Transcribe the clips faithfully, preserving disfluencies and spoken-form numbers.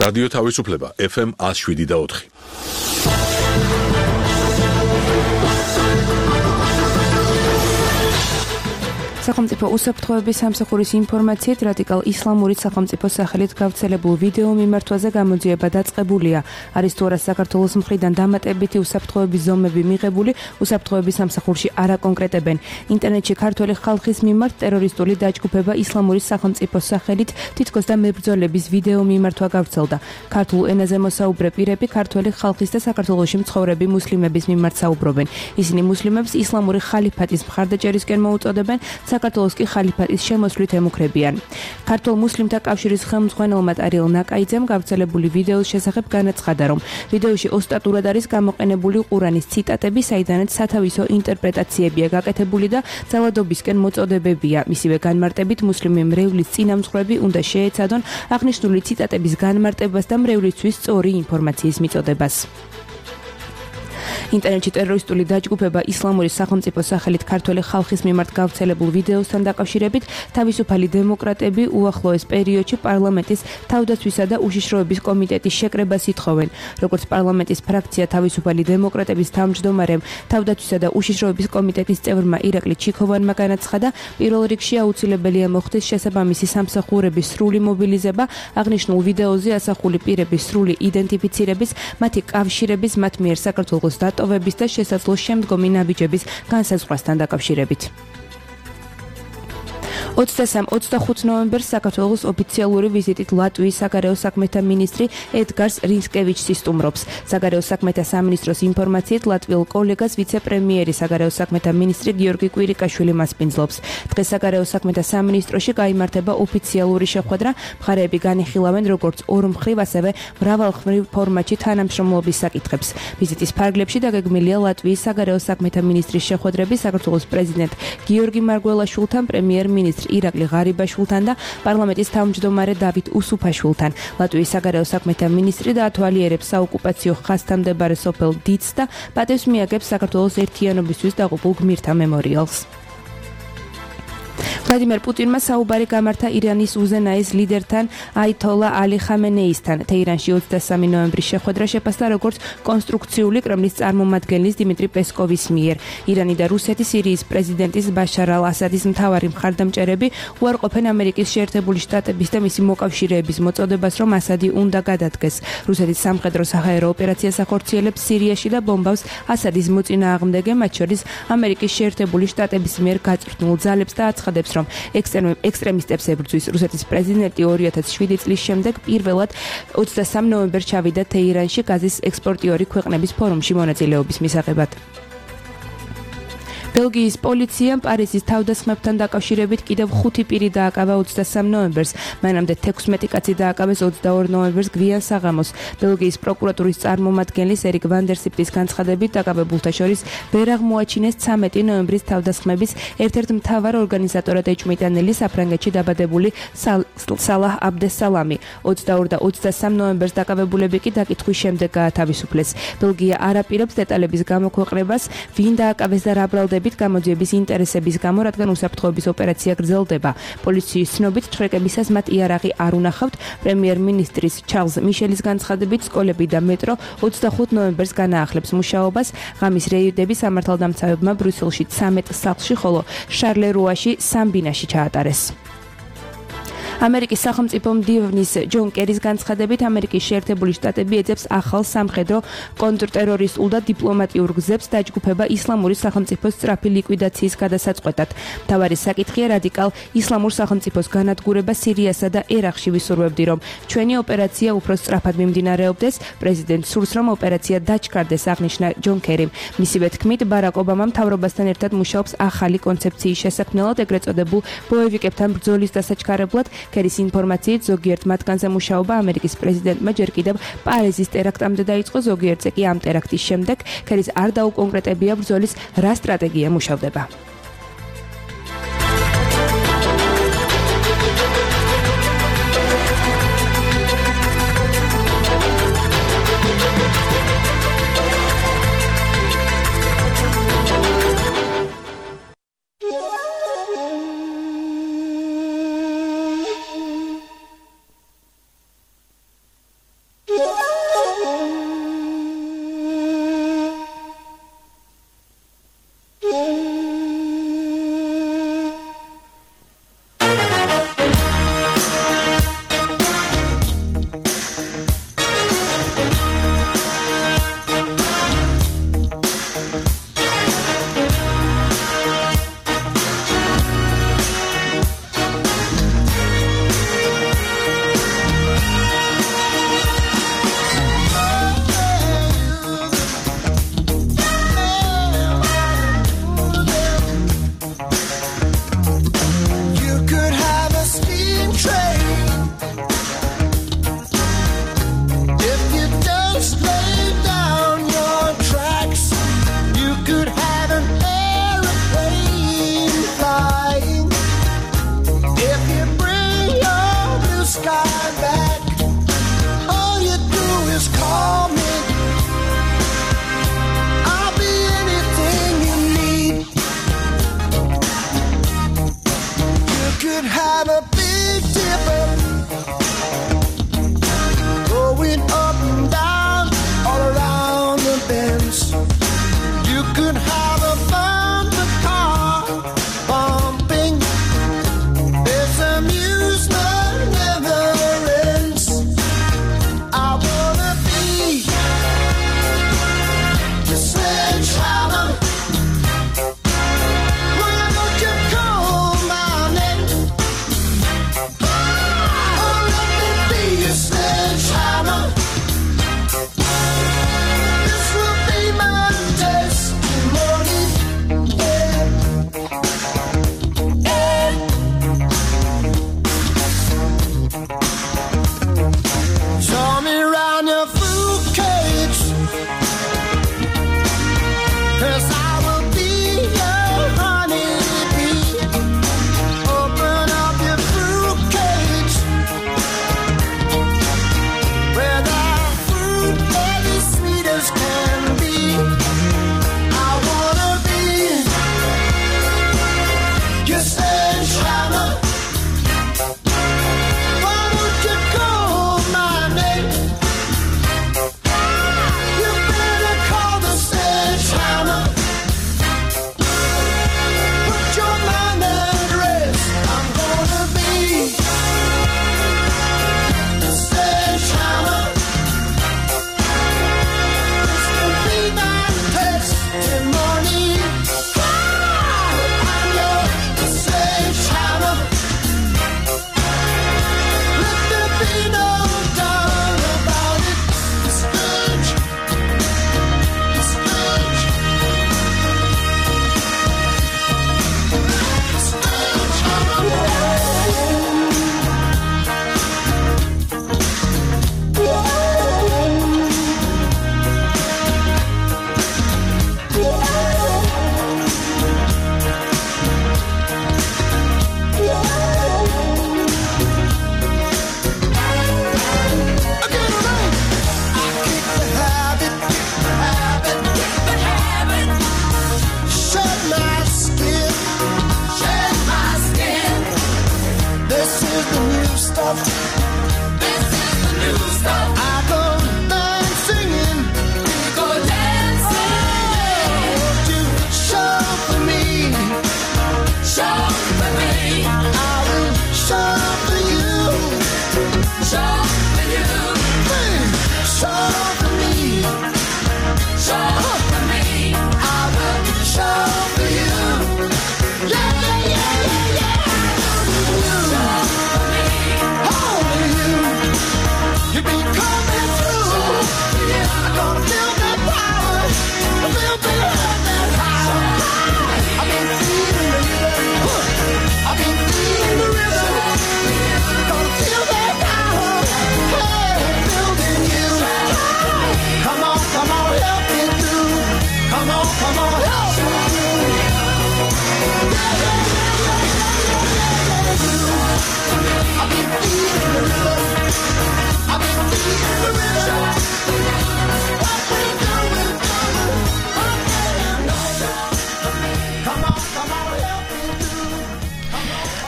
რადიო თავისუფლება ეფ ემ one oh seven და four. სახელმწიფო უსაფრთხოების სამსახურის ინფორმაციით რადიკალ ისლამური სახელმწიფო სახელით გავრცელებულ ვიდეო მიმართვაზე გამოძიება დაწყებულია. არის თუ არა საქართველოს მხრიდან დამატებითი უსაფრთხოების ზომები მიღებული, უსაფრთხოების სამსახურში არ აკონკრეტებენ. ინტერნეტში ქართველი ხალხის მიმართ ტერორისტული დაჯგუფება ისლამური სახელმწიფოს სახელით თითქოს და მებრძოლების ვიდეო მიმართვა გავრცელდა. ქართულ ენაზე მოსაუბრე პირები ქართველი ხალხის და საქართველოში მცხოვრები მუსლიმების მიმართ საუბრობენ. ისინი მუსლიმებს ისლამური ხალიფატის მხარდაჭერისკენ მოუწოდებენ, საქართველოს კი ხალიფატის შემოსვლით ემუქრებიან. ქართულ მუსლიმთა კავშირის ხელმძღვანელმა ტარიელ ნაკაიძემ გავრცელებული ვიდეოს შესახებ განაცხადა, რომ ვიდეოში ოსტატურად არის გამოყენებული ყურანის ციტატები, საიდანაც სათავისო ინტერპრეტაციებია გაკეთებული და ძალადობისკენ მოწოდებებია. მისივე განმარტებით მუსლიმი მრევლის წინამძღვრები უნდა შეეცადონ აღნიშნული ციტატების განმარტებას და მრევლისთვის სწორი ინფორმაციის მიწოდებას. ინტერნეტში ტერორისტული დაჯგუფება ისლამური სახელმწიფოს სახელით ქართველი ხალხის მიმართ გავრცელებულ ვიდეოსთან დაკავშირებით თავისუფალი დემოკრატები უახლოეს პერიოდში პარლამენტის თავდაცვისა და უშიშროების კომიტეტის შეკრებას ითხოვენ. როგორც პარლამენტის ფრაქცია თავისუფალი დემოკრატების თავმჯდომარემ თავდაცვისა და უშიშროების კომიტეტის წევრმა ირაკლი ჩიქოვანმა განაცხადა, პირველ რიგში აუცილებელია მოხდეს შესაბამისი სამსახურების სრული მობილიზება, აღნიშნულ ვიდეოზე ასახული პირების სრული იდენტიფიცირების, მათი კავშირების მათ მიერ საქართველოს დატოვების და შესაძლო შემდგომი ნაბიჯების განსაზღვრასთან დაკავშირებით. ოცდასამ ოცდახუთ ნოემბერს საქართველოს ოფიციალური ვიზიტით ლატვიის საგარეო საქმეთა მინისტრი ედგარს რინსკევიჩი სტუმრობს. საგარეო საქმეთა სამინისტროს ინფორმაციით ლატვიელ კოლეგას ვიცე-პრემიერი საგარეო საქმეთა მინისტრი გიორგი კვირიკაშვილი მასპინძლობს. დღეს საგარეო საქმეთა სამინისტროში გაიმართება ოფიციალური შეხვედრა, მხარეები განიხილავენ როგორც ორმხრივ, ასევე მრავალმხრივ ფორმატში თანამშრომლობის საკითხებს. ვიზიტის ფარგლებში დაგეგმილია ლატვიის საგარეო საქმეთა მინისტრის შეხვედრები საქართველოს პრეზიდენტ გიორგი მარგველაშვილთან, პრემიერ-მინისტრი ირაკლი ღარიბაშვილთან და პარლამენტის თავმჯდომარე დავით უსუფაშვილთან. ლატვიის საგარეო საქმეთა მინისტრი დაათვალიერებს საოკუპაციო ხაზთან მდებარე სოფელ დიცს და პატევს მიაგებს საქართველოს ერთიანობისთვის დაღუპულ გმირთა მემორიალს. ვლადიმერ პუტინმა საუბარი გამართა ირანის უზენაეს ლიდერთან აითოლა ალი ხამენეისთან. თეირანში ოცდასამი ნოემბრის შეხვედრა შეფასდა როგორც კონსტრუქციული კრემლის წარმომადგენლის დიმიტრი პესკოვის მიერ. ირანი და რუსეთი სირიის პრეზიდენტის ბაშარ ალ-ასადის მთავარი მხარდამჭერები უარყოფენ ამერიკის შეერთებული შტატების და მისი მოკავშირეების მოწოდებას, რომ ასადი უნდა გადადგეს. რუსეთის სამხედრო საჰაერო ოპერაციას ახორციელებს სირიაში და ბომბავს ასადის მოწინააღმდეგე, მათ შორის ამერიკის შეერთებული შტატების მიერ გაწვრთნილ ძალებს და აცხადებს, რომ ექსტრემისტებს ებრძვის. რუსეთის პრეზიდენტი ორი ათას შვიდი წლის შემდეგ პირველად ოცდასამ ნოემბერს ჩავიდა თეირანში გაზის ექსპორტიორი ქვეყნების ფორუმში მონაწილეობის მისაღებად. ბელგიის პოლიციამ პარიზის თავდასხმებთან დაკავშირებით კიდევ ხუთი პირი დააკავა ოცდასამ ნოემბერს. მანამდე თექვსმეტი კაცი დააკავეს ოცდაორ ნოემბერს გვიან საღამოს. ბელგიის პროკურატურის წარმომადგენლის ერიკ ვანდერსიპტის განცხადებით დაკავებულთა შორის ვერ აღმოაჩინეს ცამეტი ნოემბრის თავდასხმების ერთ-ერთ მთავარ ორგანიზატორად ეჭვმიტანილი საფრანგეთში დაბადებული სალაჰ აბდესალამი. ოცდაორ და ოცდასამ ნოემბერს დაკავებულები კი დაკითხვის შემდეგ გაათავისუფლეს. ბელგია არ აპირებს დეტალების გამოქვეყნებას, ვინ დააკავეს და რა ბრალდებით გამოძიების ინტერესების გამო, რადგან უსაფრთხოების ოპერაცია გრძელდება. პოლიციის ცნობით თხრეკებისას მათ იარაღი არ უნახავთ. პრემიერ-მინისტრის ჩარლზ მიშელის განცხადებით სკოლები და მეტრო ოცდახუთ ნოემბერს განაახლებს მუშაობას. ღამის რეიდები სამართალდამცავებმა ბრიუსელში ცამეტ სახლში, ხოლო შარლერუაში სამ ბინაში ჩაატარეს. ამერიკის სახელმწიფო მდივნის ჯონ კერის განცხადებით ამერიკის შეერთებული შტატები ეძებს ახალ სამხედრო კონტრტერორისტულ და დიპლომატიურ გზებს დაჯგუფება ისლამური სახელმწიფოს სწრაფი ლიკვიდაციის გადასაწყვეტად. მთავარი საკითხია რადიკალ ისლამურ სახელმწიფოს განადგურება სირიასა და ერაყში. ვისურვებდი, რომ ჩვენი ოპერაცია უფრო სწრაფად მიმდინარეობდეს. პრეზიდენტ სურს, რომ ოპერაცია დაჩქარდეს, აღნიშნა ჯონ კერიმ. მისივე თქმით, ბარაკ ობამა მთავრობასთან ერთად მუშაობს ახალი კონცეფციის შესაქმნელად, ეგრეთ წოდებულ ბოევიკებთან ბრძოლის დასაჩქარებლად. კერის ინფორმაციით ზოგიერთ მათგანზე მუშაობა ამერიკის პრეზიდენტმა ჯერ კიდევ პარიზის ტერაქტამდე დაიწყო, ზოგიერთზე კი ამ ტერაქტის შემდეგ. კერის არ დაუკონკრეტებია ბრძოლის რა სტრატეგია მუშავდება.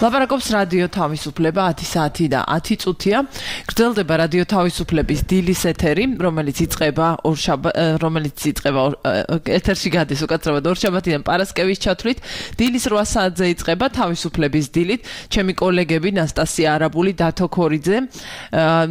ლაპარაკობს რადიო თავისუფლება ათი საათი და ათი წუთია. გრძელდება რადიო თავისუფლების დილის ეთერი, რომელიც იწყება ორშაბათ, რომელიც იწყება ეთერში გადის უკაცრავად ორშაბათიდან პარასკევის ჩათვლით. დილის რვა საათზე იწყება თავისუფლების დილით. ჩემი კოლეგები ნასტასია არაბული, დათო ქორიძე,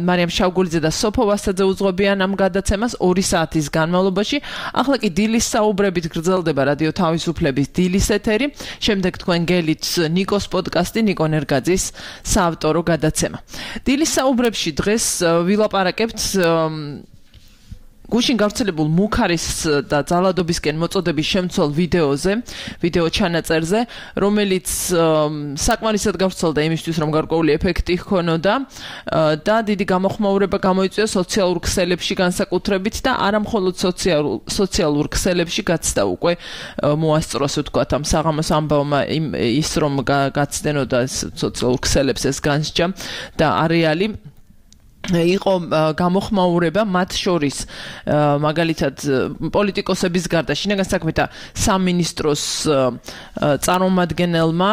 მარიამ შავგულიძე და სოფო ვასაძე უძღვებიან ამ გადაცემას ორი საათის განმავლობაში. ახლა კი დილის საუბრებით გრძელდება რადიო თავისუფლების დილის ეთერი. შემდეგ თქვენ გელით ნიკოს პოდკასტი ნიკო ნერგაძის საავტორო გადაცემა. დილის საუბრებში დღეს ვილაპარაკებთ გუშინ გავრცელებულ მუქარის და ძალადობისკენ მოწოდების შემცველ ვიდეოზე, ვიდეო ჩანაწერზე, რომელიც საკმარისად გავრცელდა იმისთვის, რომ გარკვეული ეფექტი ჰქონოდა და დიდი გამოხმაურება გამოიწვია სოციალურ ქსელებში განსაკუთრებით და არა მხოლოდ სოციალურ სოციალურ ქსელებში გაცდა უკვე მოასწროს ვთქვათ ამ საღამოს ამბავმა ის რომ გაცდენოდა სოციალურ ქსელებს ეს განსჯა და არეალი იყო გამოხმაურება მათ შორის მაგალითად პოლიტიკოსების გარდა შინაგან საქმეთა სამინისტროს წარმომადგენელმა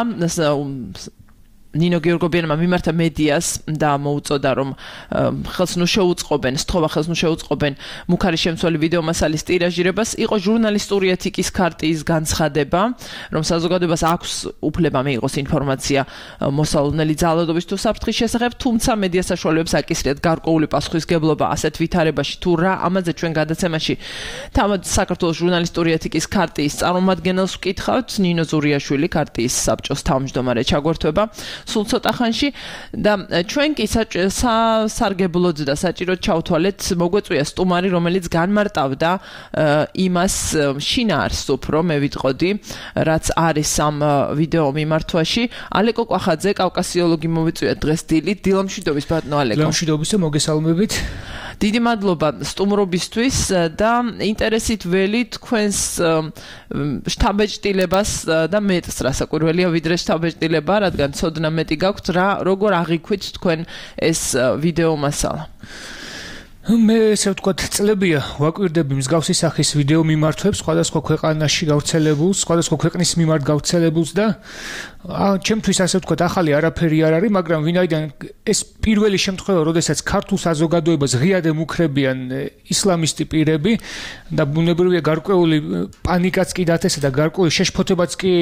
ნინო გიორგობიანმა მიმართა მედიას და მოუწოდა რომ ხელს ნუ შეუწყობენ, სთხოვა ხელს ნუ შეუწყობენ მუქარის შემცველი ვიდეო მასალის ტირაჟირებას. იყო ჟურნალისტური ეთიკის ქარტიის განცხადება, რომ საზოგადოებას აქვს უფლება მიიღოს ინფორმაცია მოსალოდნელი ძალადობის თუ საფრთხის შესახებ, თუმცა მედია საშუალებებს აკისრიათ გარკვეული პასუხისგებლობა ასეთ ვითარებაში თუ რა. ამაზე ჩვენ გადაცემაში თავად საქართველოს ჟურნალისტური ეთიკის ქარტიის წარმომადგენელს ვკითხავთ, ნინო ზურიაშვილი, ქარტიის საბჭოს თავმჯდომარე ჩაგვერთვება სულ ცოტა ხანში და ჩვენ კი სასარგებლოდ და საჭიროდ ჩავთვალეთ მოგვეწვია სტუმარი, რომელიც განმარტავდა იმას შინაარსს უფრო მე ვიტყოდი, რაც არის ამ ვიდეო მიმართვაში. ალეკო კვახაძე, კავკასიოლოგი მოვიწვია დღეს დილით. დილამშვიდობის ბატონო ალეკო. დილამშვიდობის და მოგესალმებით. დიდი მადლობა სტუმრობისთვის და ინტერესით ველი თქვენს შთაბეჭდილებას და მეტს რასაკვირველია ვიდრე შთაბეჭდილება, რადგან ცოდნა მეტი გაქვთ, რა როგორ აღიქვით თქვენ ეს ვიდეო მასალა. მე ესე ვთქვათ, წლებია ვაკვირდები მსგავსი სახის ვიდეო მიმართვებს სხვადასხვა ქვეყანაში გავრცელებულს, სხვადასხვა ქვეყნის მიმართ გავრცელებულს და ჩემთვის ასე ვთქვათ, ახალი არაფერი არ არის, მაგრამ ვინაიდან ეს პირველი შემთხვევა, როდესაც ქართულ საზოგადოებას ღიად ემუქრებიან ისლამისტი პირები და ბუნებრივია გარკვეული პანიკაც კი დათესა და გარკვეული შეშფოთებაც კი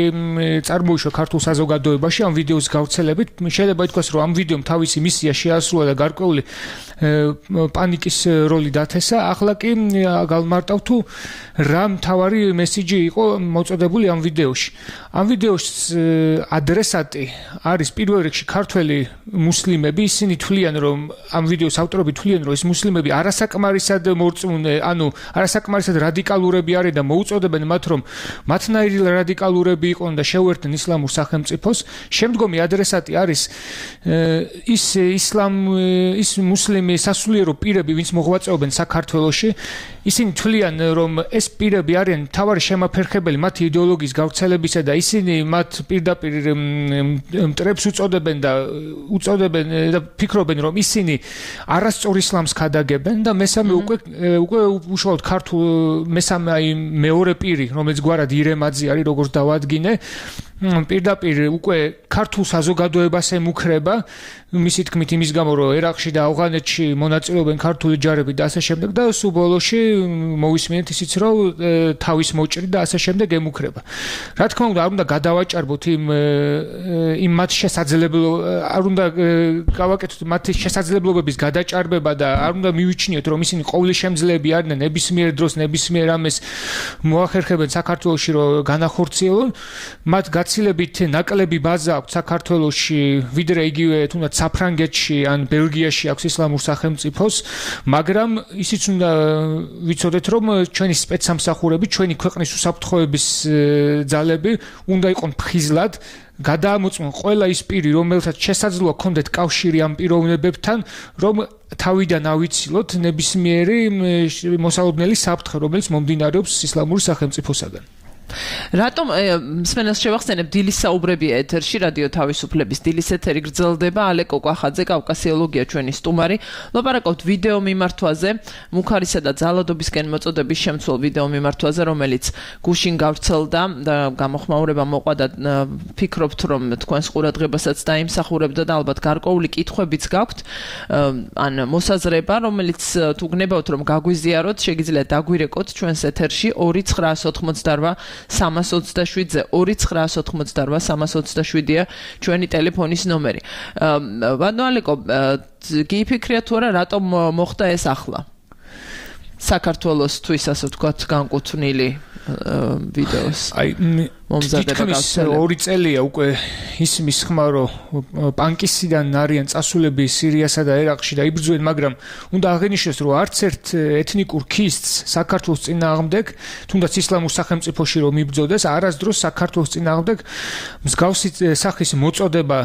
წარმოიშვა ქართულ საზოგადოებაში ამ ვიდეოს გავრცელებით. შეიძლება ითქვას, რომ ამ ვიდეომ თავისი მისია შეასრულა და გარკვეული პანიკის როლი დათესა. ახლა კი გავმარტავ თუ რა მთავარი მესიჯი იყო მოწოდებული ამ ვიდეოში. ამ ვიდეოს ადრესატი არის პირველ რიგში ქართველი მუსლიმები. ისინი თვლიან, რომ ამ ვიდეოს ავტორები თვლიან, რომ ეს მუსლიმები არასაკმარისად მორწმუნე, ანუ არასაკმარისად რადიკალურები არიან და მოუწოდებენ მათ, რომ მათნაირი რადიკალურები იყვნენ და შეუერთდნენ ისლამურ სახელმწიფოს. შემდგომი ადრესატი არის ის ისლამ ის მუსლიმი სასულიერო პირები, ვინც მოღვაწეობენ საქართველოში. ისინი თვლიან, რომ ეს პირები არიან მთავარი შემაფერხებელი მათი იდეოლოგიის გავრცელებისა და ისინი მათ პირდაპირ მტრებს უწოდებენ და უწოდებენ და ფიქრობენ, რომ ისინი არასწორ ისლამს ქადაგებენ და მესამე უკვე უკვე უშუალოდ ქართულ მესამე აი მეორე პირი, რომელიც გვარად ირემაძე არის, როგორც დავადგინე, პირდაპირ უკვე ქართულ საზოგადოებას ემუქრება, მისი თქმით იმის გამო, რომ ერაყში და ავღანეთში მონაწილეობენ ქართული ჯარები და ასე შემდეგ და სულ ბოლოში მოვისმინეთ ისიც, რომ თავის მოჭრი და ასე შემდეგ ემუქრება. რა თქმა უნდა, არ უნდა გადავაჭარბოთ იმ იმ მათ შესაძლებლო არ უნდა გავაკეთოთ მათი შესაძლებლობების გადაჭარბება და არ უნდა მივიჩნიოთ, რომ ისინი ყოვლისშემძლეები არიან ნებისმიერ დროს, ნებისმიერ ამეს მოახერხებენ საქართველოში, რომ განახორციელონ. მათ გაცილებით ნაკლები ბაზა აქვს საქართველოში, ვიდრე იგივე თუნდაც საფრანგეთში ან ბელგიაში აქვს ისლამურ სახელმწიფოს, მაგრამ ისიც უნდა ვიცოდეთ, რომ ჩვენი სპეცსამსახურები, ჩვენი ქვეყნის უსაფრთხოების ძალები უნდა იყვნენ ფხიზლად გადაამოწმონ ყველა ის პირი, რომელსაც შესაძლოა ქონდეთ კავშირი ამ პიროვნებებთან, რომ თავიდან ავიცილოთ ნებისმიერი მოსალოდნელი საფრთხე, რომელიც მომდინარეობს ისლამური სახელმწიფოსაგან. რატომ მსმენელს შევახსენებ დილის საუბრები ეთერში რადიო თავისუფლების დილის ეთერი გრძელდება ალე კოკვახაძე კავკასიოლოგია ჩვენი სტუმარი ლაპარაკობთ ვიდეო მიმართვაზე მუქარისა და ძალადობისკენ მოწოდების შემცველ ვიდეო მიმართვაზე რომელიც გუშინ გავრცელდა და გამოხმაურება მოყვა და ფიქრობთ რომ თქვენს ყურადღებასაც დაიმსახურებდა და ალბათ გარკვეული კითხვებიც გაქვთ ან მოსაზრება რომელიც თუ გნებავთ რომ გაგვიზიაროთ შეგიძლიათ დაგვირეკოთ ჩვენს ეთერში ორი ცხრაას ოცდაოთხმოცდარბა სამას ოცდაშვიდზე ორი ცხრაას ოცდაოთხმოცდარბა სამას ოცდაშვიდია ჩვენი ტელეფონის ნომერი. ბატონო ალეკო, გიფიქრია თუ არა რატომ მოხდა ეს ახლა? საქართველოსთვის ასე ვთქვათ განკუთვნილი ვიდეოს. აი თითქმის ორი წელია უკვე ისმის ხმა რომ პანკისიდან არიან წასულები სირიასა და ერაყში და იბრძვენ, მაგრამ უნდა აღინიშნოს რომ არც ერთ ეთნიკურ ქისტს საქართველოს წინააღმდეგ, თუნდაც ისლამურ სახელმწიფოში რომ იბრძოდეს, არასდროს საქართველოს წინააღმდეგ მსგავსი სახის მოწოდება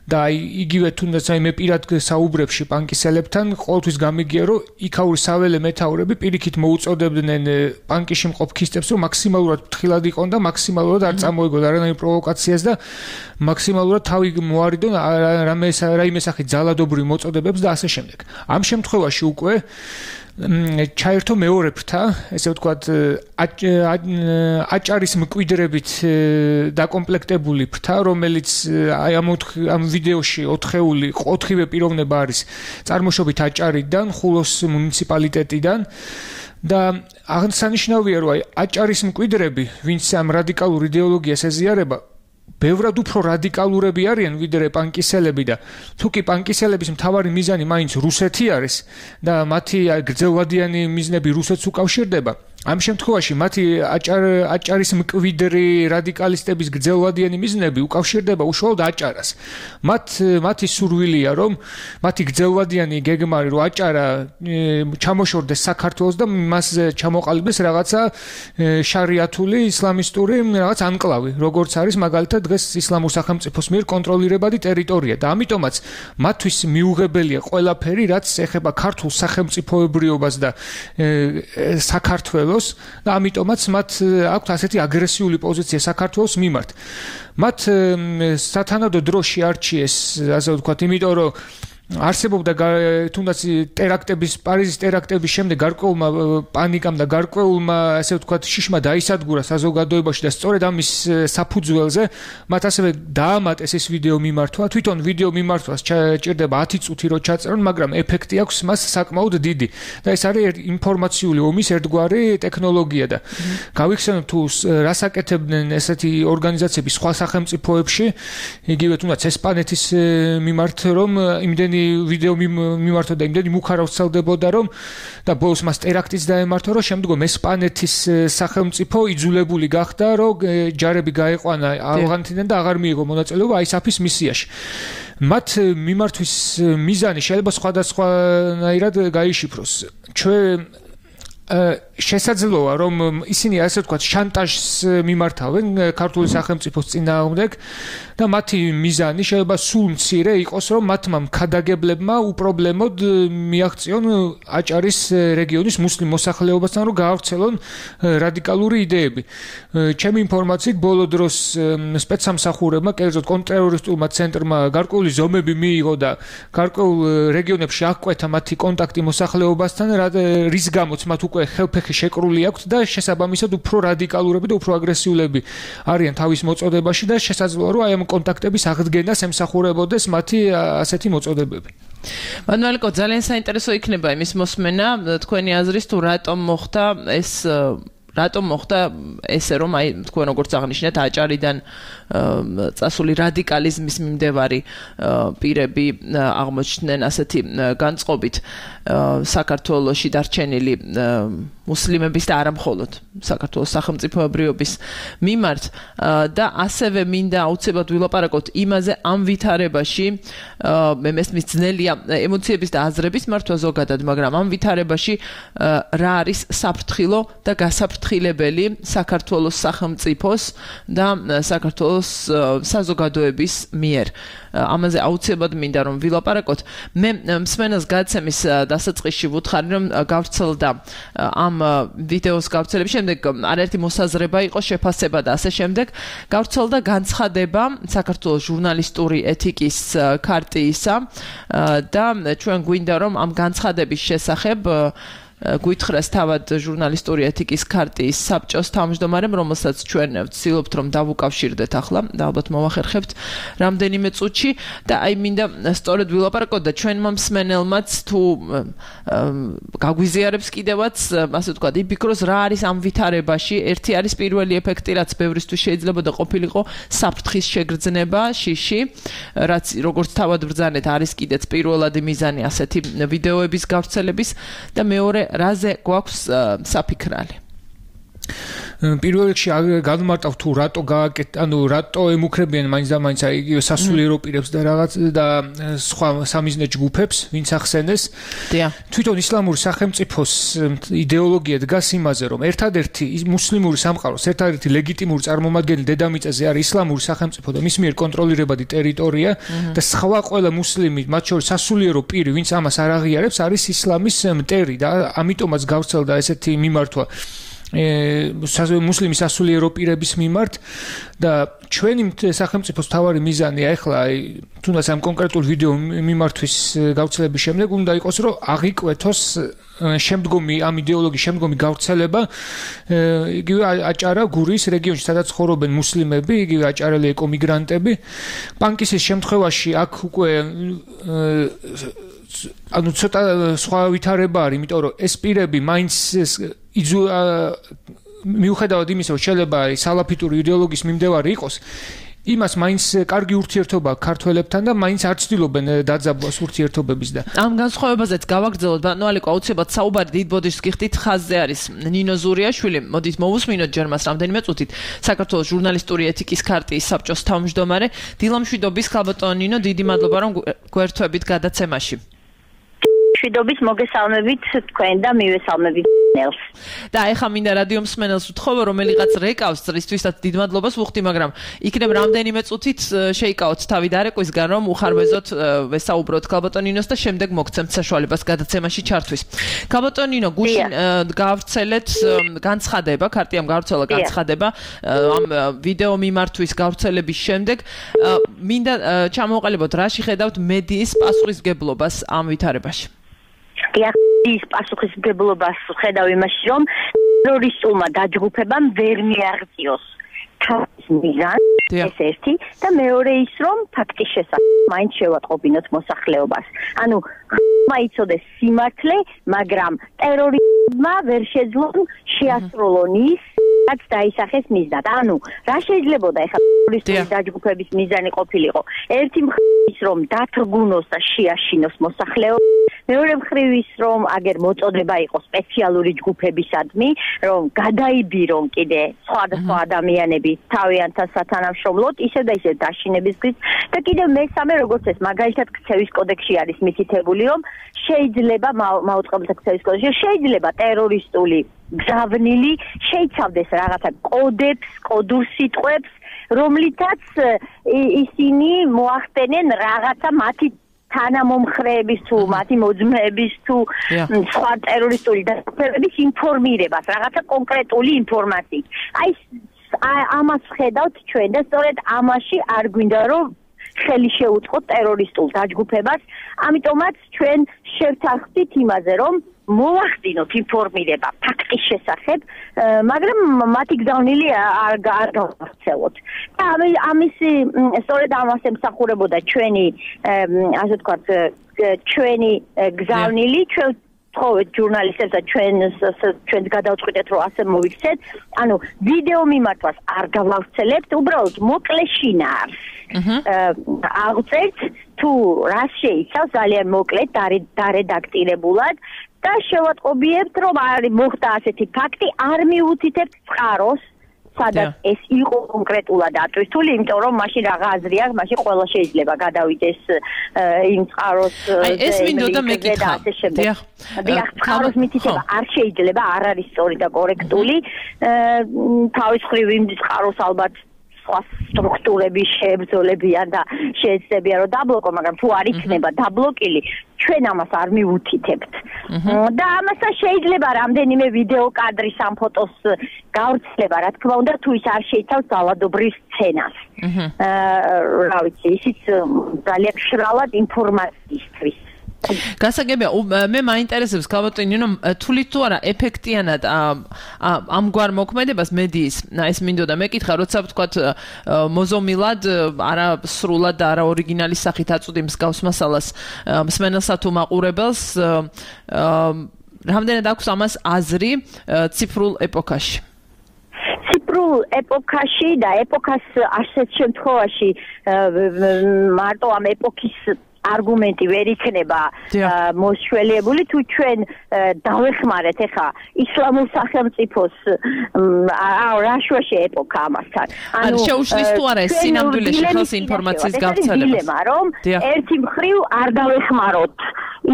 და იგივე თუნდაც აი მე პირად საუბრებში პანკისელებთან ყოველთვის გამიგია რომ იქაური საველე მეთაურები პირიქით მოუწოდებდნენ პანკიში მყოფ ქისტებს რომ მაქსიმალურად ფრთხილად იყონ და მაქსიმალურად არ წამოეგონ არანაირ პროვოკაციას და მაქსიმალურად თავი მოარიდონ რამე რაიმე სახით ძალადობრივ მოწოდებებს და ასე შემდეგ. ამ შემთხვევაში უკვე ჩაერთო მეორე ფრთა, ესე ვთქვათ, აჭარის მკვიდრებით დაკომპლექტებული ფრთა, რომელიც აი ამ ამ ვიდეოში ოთხეული ოთხივე პიროვნება არის წარმოშობით აჭარიდან, ხულოს მუნიციპალიტეტიდან და აღსანიშნავია, რომ აი აჭარის მკვიდრები, ვინც ამ რადიკალურ იდეოლოგიას ეზიარება, ბევრად უფრო რადიკალურები არიან ვიდრე პანკისელები და თუკი პანკისელების მთავარი მიზანი მაინც რუსეთი არის და მათი გრძელვადიანი მიზნები რუსეთს უკავშირდება. ამ შემთხვევაში მათი აჭარ აჭარის მკვიდრი რადიკალისტების გრძელვადიანი მიზნები უკავშირდება უშუალოდ აჭარას. მათ მათი სურვილია რომ მათი გრძელვადიანი გეგმარი რომ აჭარა ჩამოშორდეს საქართველოს და მასზე ჩამოყალიბდეს რაღაცა შარიათული ისლამისტური რაღაც ანკლავი, როგორც არის მაგალითად დღეს ისლამურ სახელმწიფოს მიერ კონტროლირებადი ტერიტორია და ამიტომაც მათთვის მიუღებელია ყველაფერი, რაც ეხება ქართულ სახელმწიფოებრიობას და საქართველოს და ამიტომაც მათ აქვთ ასეთი აგრესიული პოზიცია საქართველოს მიმართ. მათ სათანადო დრო შეარჩიეს, ასე ვთქვათ, იმიტომ რომ არსებობდა თუნდაც ტერაქტების პარიზის ტერაქტების შემდეგ გარკვეულმა პანიკამ და გარკვეულმა ასე ვთქვათ შიშმა დაისადგურა საზოგადოებაში და სწორედ ამის საფუძველზე მათ ასევე დაამატეს ეს ვიდეო მიმართვა. თვითონ ვიდეო მიმართვას ჭირდება ათი წუთი რომ ჩაწერონ, მაგრამ ეფექტი აქვს მას საკმაოდ დიდი და ეს არის ინფორმაციული ომის ერთგვარი ტექნოლოგია და გავიხსენებ თუ რას აკეთებდნენ ესეთი ორგანიზაციები სხვა სახელმწიფოებში, იგივე თუნდაც ესპანეთის მიმართ რომ იმდენი ვიდეო მიმართვა და იმდენი მუქარა ვრცელდებოდა რომ და ბოლოს მას ტერაქტიც დაემართვა რომ შემდგომ ესპანეთის სახელმწიფო იძულებული გახდა რომ ჯარები გაეყვანა ავღანეთიდან და აღარ მიიღო მონაწილეობა აისაფის მისიაში. მათ მიმართვის მიზანი შეიძლება სხვადასხვანაირად გაიშიფროს. ჩვენ შესაძლოა რომ ისინი ასე ვთქვათ შანტაჟს მიმართავენ ქართული სახელმწიფოს წინააღმდეგ და მათი მიზანი შეიძლება სულ მცირე იყოს რომ მათმა მქადაგებლებმა უპრობლემოდ მიაღწიონ აჭარის რეგიონის მუსლიმ მოსახლეობასთან რომ გაავრცელონ რადიკალური იდეები. ჩემი ინფორმაციით ბოლო დროს სპეცსამსახურებმა, კერძოდ კონტრტერორისტულმა ცენტრმა გარკვეული ზომები მიიღო და გარკვეულ რეგიონებში აღკვეთა მათი კონტაქტი მოსახლეობასთან, რის გამოც მათ უკვე ხელფეხი შეკრული აქვს და შესაბამისად უფრო რადიკალურები და უფრო აგრესიულები არიან თავის მოწოდებაში და შესაძლოა რომ აი ამ კონტაქტების აღდგენას ემსახურებოდეს მათი ასეთი მოწოდებები. მანუელკო, ძალიან საინტერესო იქნება იმის მოსმენა თქვენი აზრის თუ რატომ მოხდა ეს რატომ მოხდა ესე რომ აი თქვენ როგორც აღნიშნეთ აჭარიდან წასული რადიკალიზმის მიმდევარი პირები აღმოჩნდნენ ასეთი განწყობით საქართველოში დარჩენილი მუსლიმების და არა მხოლოდ საქართველოს სახელმწიფოებრიობის მიმართ და ასევე მინდა აუცილებლად ვილაპარაკოთ იმაზე ამ ვითარებაში მე მესმის ძნელია ემოციების და აზრების მართვა ზოგადად, მაგრამ ამ ვითარებაში რა არის საფრთხილო და გასაფრთხილებელი საქართველოს სახელმწიფოს და საქართველოს საზოგადოების მიერ. ამაზე აუცილებლად მინდა რომ ვილაპარაკოთ. მე მსმენელს გადაცემის დასაწყისში ვუთხარი რომ გავრცელდა ამ ვიდეოს გავრცელების შემდეგ არაერთი მოსაზრება იყო, შეფასება და ასე შემდეგ. გავრცელდა განცხადება საქართველოს ჟურნალისტური ეთიკის ქარტიისა და ჩვენ გვინდა რომ ამ განცხადების შესახებ გვითხრას თავად ჟურნალისტური ეთიკის ქარტიის საბჭოს თავმჯდომარემ, რომელსაც ჩვენ ვცდილობთ რომ დავუკავშირდეთ ახლა და ალბათ მოვახერხებთ რამდენიმე წუთში და აი მინდა სწორედ ვილაპარაკოთ და ჩვენმა მსმენელმაც თუ გაგვიზიარებს კიდევაც ასე ვთქვათ, იფიქროს რა არის ამ ვითარებაში. ერთი არის პირველი ეფექტი, რაც ბევრისთვის შეიძლება და ყოფილიყო საფრთხის შეგრძნება შიში, რაც როგორც თავად ბრძანეთ არის კიდეც პირველადი მიზანი ასეთი ვიდეოების გავრცელების და მეორე რაზე გვაქვს საფიქრალი. პირველ რიგში განმარტავ თუ რატო გააკეთ, ანუ რატო ემუქრებიან მაინც და მაინც იგივე სასულიერო პირებს და რაღაც და სხვა სამიზნე ჯგუფებს, ვინც ახსენეს. თვითონ ისლამური სახელმწიფოს იდეოლოგია დგას იმაზე, რომ ერთადერთი მუსლიმური სამყაროს ერთადერთი ლეგიტიმური წარმომადგენელი დედამიწაზე არის ისლამური სახელმწიფო და მის მიერ კონტროლირებადი ტერიტორია და სხვა ყველა მუსლიმი, მათ შორის სასულიერო პირი, ვინც ამას არ აღიარებს, არის ისლამის მტერი და ამიტომაც გავრცელდა ესეთი მიმართვა მუსლიმი სასულიერო პირების მიმართ და ჩვენი სახელმწიფოს მთავარი მიზანია ახლა აი თუნდაც ამ კონკრეტულ ვიდეო მიმართვის გავრცელების შემდეგ უნდა იყოს რომ აღიკვეთოს შემდგომი ამ იდეოლოგიის შემდგომი გავრცელება იგივე აჭარა გურიის რეგიონში სადაც ცხოვრობენ მუსლიმები, იგივე აჭარელი ეკომიგრანტები. პანკისის შემთხვევაში აქ უკვე ანუ ცოტა სხვა ვითარება არის, იმიტომ რომ ეს პირები მაინც მიუხედავად იმისა, რომ შეიძლება სალაფიტური იდეოლოგიის მიმდევარი იყოს, იმას მაინც კარგი ურთიერთობა ქართველებთან და მაინც არ ცდილობენ დაძაბვას ურთიერთობების და ამ განსხვავებაზეც გავაგრძელოთ ბატონო ალიკო, აუცილებლად საუბარი დიდ ბოდიშს გიხდით, ხაზზე არის ნინო ზურიაშვილი. მოდით მოვუსმინოთ ჯერ მას რამდენიმე წუთით. საქართველოს ჟურნალისტური ეთიკის ქარტიის საბჭოს თავმჯდომარე. დილამშვიდობის ხალბატონო ნინო, დიდი მადლობა რომ გვერთვებით გადაცემაში. შვიდობის მოგესალმებით თქვენ და მივესალმებით ნელს. და ეხა მინდა რადიო მსმენელს ვთხოვო, რომელიღაც რეკავს წრისთვისაც დიდ მადლობას ვუხდი, მაგრამ იქნებ რამდენიმე წუთით შეიკავოთ თავი დარეკვისგან, რომ უხარბეზოთ ვესაუბროთ ქალბატონ ნინოს და შემდეგ მოგცემთ საშუალებას გადაცემაში ჩართვის. ქალბატონ ნინო, გუშინ გავრცელეთ განცხადება, ქარტიამ გავრცელა განცხადება ამ ვიდეო მიმართვის გავრცელების შემდეგ. მინდა ჩამოვყალიბოთ, რა შეხედავთ მედიის პასუხისმგებლობას ამ ვითარებაში? ის პასუხისმგებლობას ხედავ იმაში, რომ ტერორისტულმა დაჯგუფებამ ვერ მიაღწიოს თავის მიზანს, ეს ერთი და მეორე ის, რომ ფაქტის შესახებ მაინც შევატყობინოთ მოსახლეობას. ანუ მაიცოდეს სიმართლე, მაგრამ ტერორისტმა ვერ შეძლონ შეასრულონ ის, რაც დაისახეს მიზნად. ანუ რა შეიძლებოდა ეხლა ტერორისტული დაჯგუფების მიზანი ყოფილიყო? ერთი მხრივ ის, რომ დათრგუნოს და შეაშინოს მოსახლეობა, მეორე მხრივ ის, რომ აგერ მოწოდება იყოს სპეციალური ჯგუფებისადმი, რომ გადაიბირონ კიდე სხვადასხვა ადამიანები თავიანთან სათანამშრომლოდ, ისევ და ისევ დაშინებისთვის და კიდევ მესამე, როგორც ეს მაგალითად ქცევის კოდექსში არის მითითებული, რომ შეიძლება მაუწყებელთა ქცევის კოდექსში შეიძლება ტერორისტული გზავნილი შეიცავდეს რაღაცა კოდებს, კოდურ სიტყვებს, რომლითაც ისინი მოახდენენ რაღაცა მათი თანამომხრეების თუ მათი მოძმეების თუ სხვა ტერორისტული დაჯგუფებების ინფორმირებას, რაღაცა კონკრეტული ინფორმაციით. აი ამას ხედავთ ჩვენ და სწორედ ამაში არ გვინდა რომ ხელი შეუწყოთ ტერორისტულ დაჯგუფებას, ამიტომაც ჩვენ შევთანხმდით იმაზე, რომ მოვახდინოთ ინფორმირება ფაქტის შესახებ, მაგრამ მათი გზავნილი არ გავავრცელოთ. და ამის სწორედ ამას ემსახურებოდა ჩვენი, ასე ვთქვათ, ჩვენი გზავნილი, ჩვენ ვთხოვეთ ჟურნალისტებს და ჩვენ ჩვენს გადავწყვიტეთ, რომ ასე მოვიქცეთ. ანუ ვიდეო მიმართვას არ გავავრცელებთ, უბრალოდ მოკლე შინაარს აღწერთ, თუ რა შეიცავს ძალიან მოკლედ დარედაქტირებულად და შევატყობიებთ, რომ არის მოხდა ასეთი ფაქტი, არ მიუთითებთ წყაროს, სადაც ეს იყო კონკრეტულად ატვირთული, იმიტომ რომ მაშინ რა აზრი აქვს, მაშინ ყველა შეიძლება გადავიდეს იმ წყაროს ეს მინდოდა მეკითხა. დიახ. დიახ, წყაროს მითითება არ შეიძლება, არ არის სწორი და კორექტული. თავის მხრივ იმ წყაროს ალბათ სხვა სტრუქტურები შეებრძოლებიან და შეეცდებიან რომ დაბლოკო, მაგრამ თუ არ იქნება დაბლოკილი, ჩვენ ამას არ მივუთითებთ. და ამასთან შეიძლება რამდენიმე ვიდეო კადრი სამ ფოტოს გავრცელება, რა თქმა უნდა, თუ ის არ შეიცავს ძალადობრივ სცენას. აა რა ვიცი, ისიც ძალიან მშრალად ინფორმაციისთვის. გასაგებია, მე მაინტერესებს ქალბატონინო, თulit თუ არა ეფექტიანად ამგვარ მოქმედებას მედიის, ეს მინდოდა მეკითხა, როცა ვთქვათ მოზომილად, არა სრულად და არა ორიგინალის სახით აწვდი მსგავს მასალას მსმენელსა თუ მაყურებელს, რამდენად აქვს ამას აზრი ციფრულ ეპოქაში? ციფრულ ეპოქაში და ეპოქას ასეთ შემთხვევაში მარტო ამ ეპოქის არგუმენტი ვერ იქნება მოსშველიებული თუ ჩვენ დავეხმარეთ ეხა ისლამურ სახელმწიფოს რა შუაში ეპოქა ამასთან. ანუ შეუშლის თუ არა ეს სინამდვილეში ხელს ინფორმაციის გავრცელებას. დილემა რომ ერთი მხრივ არ დავეხმაროთ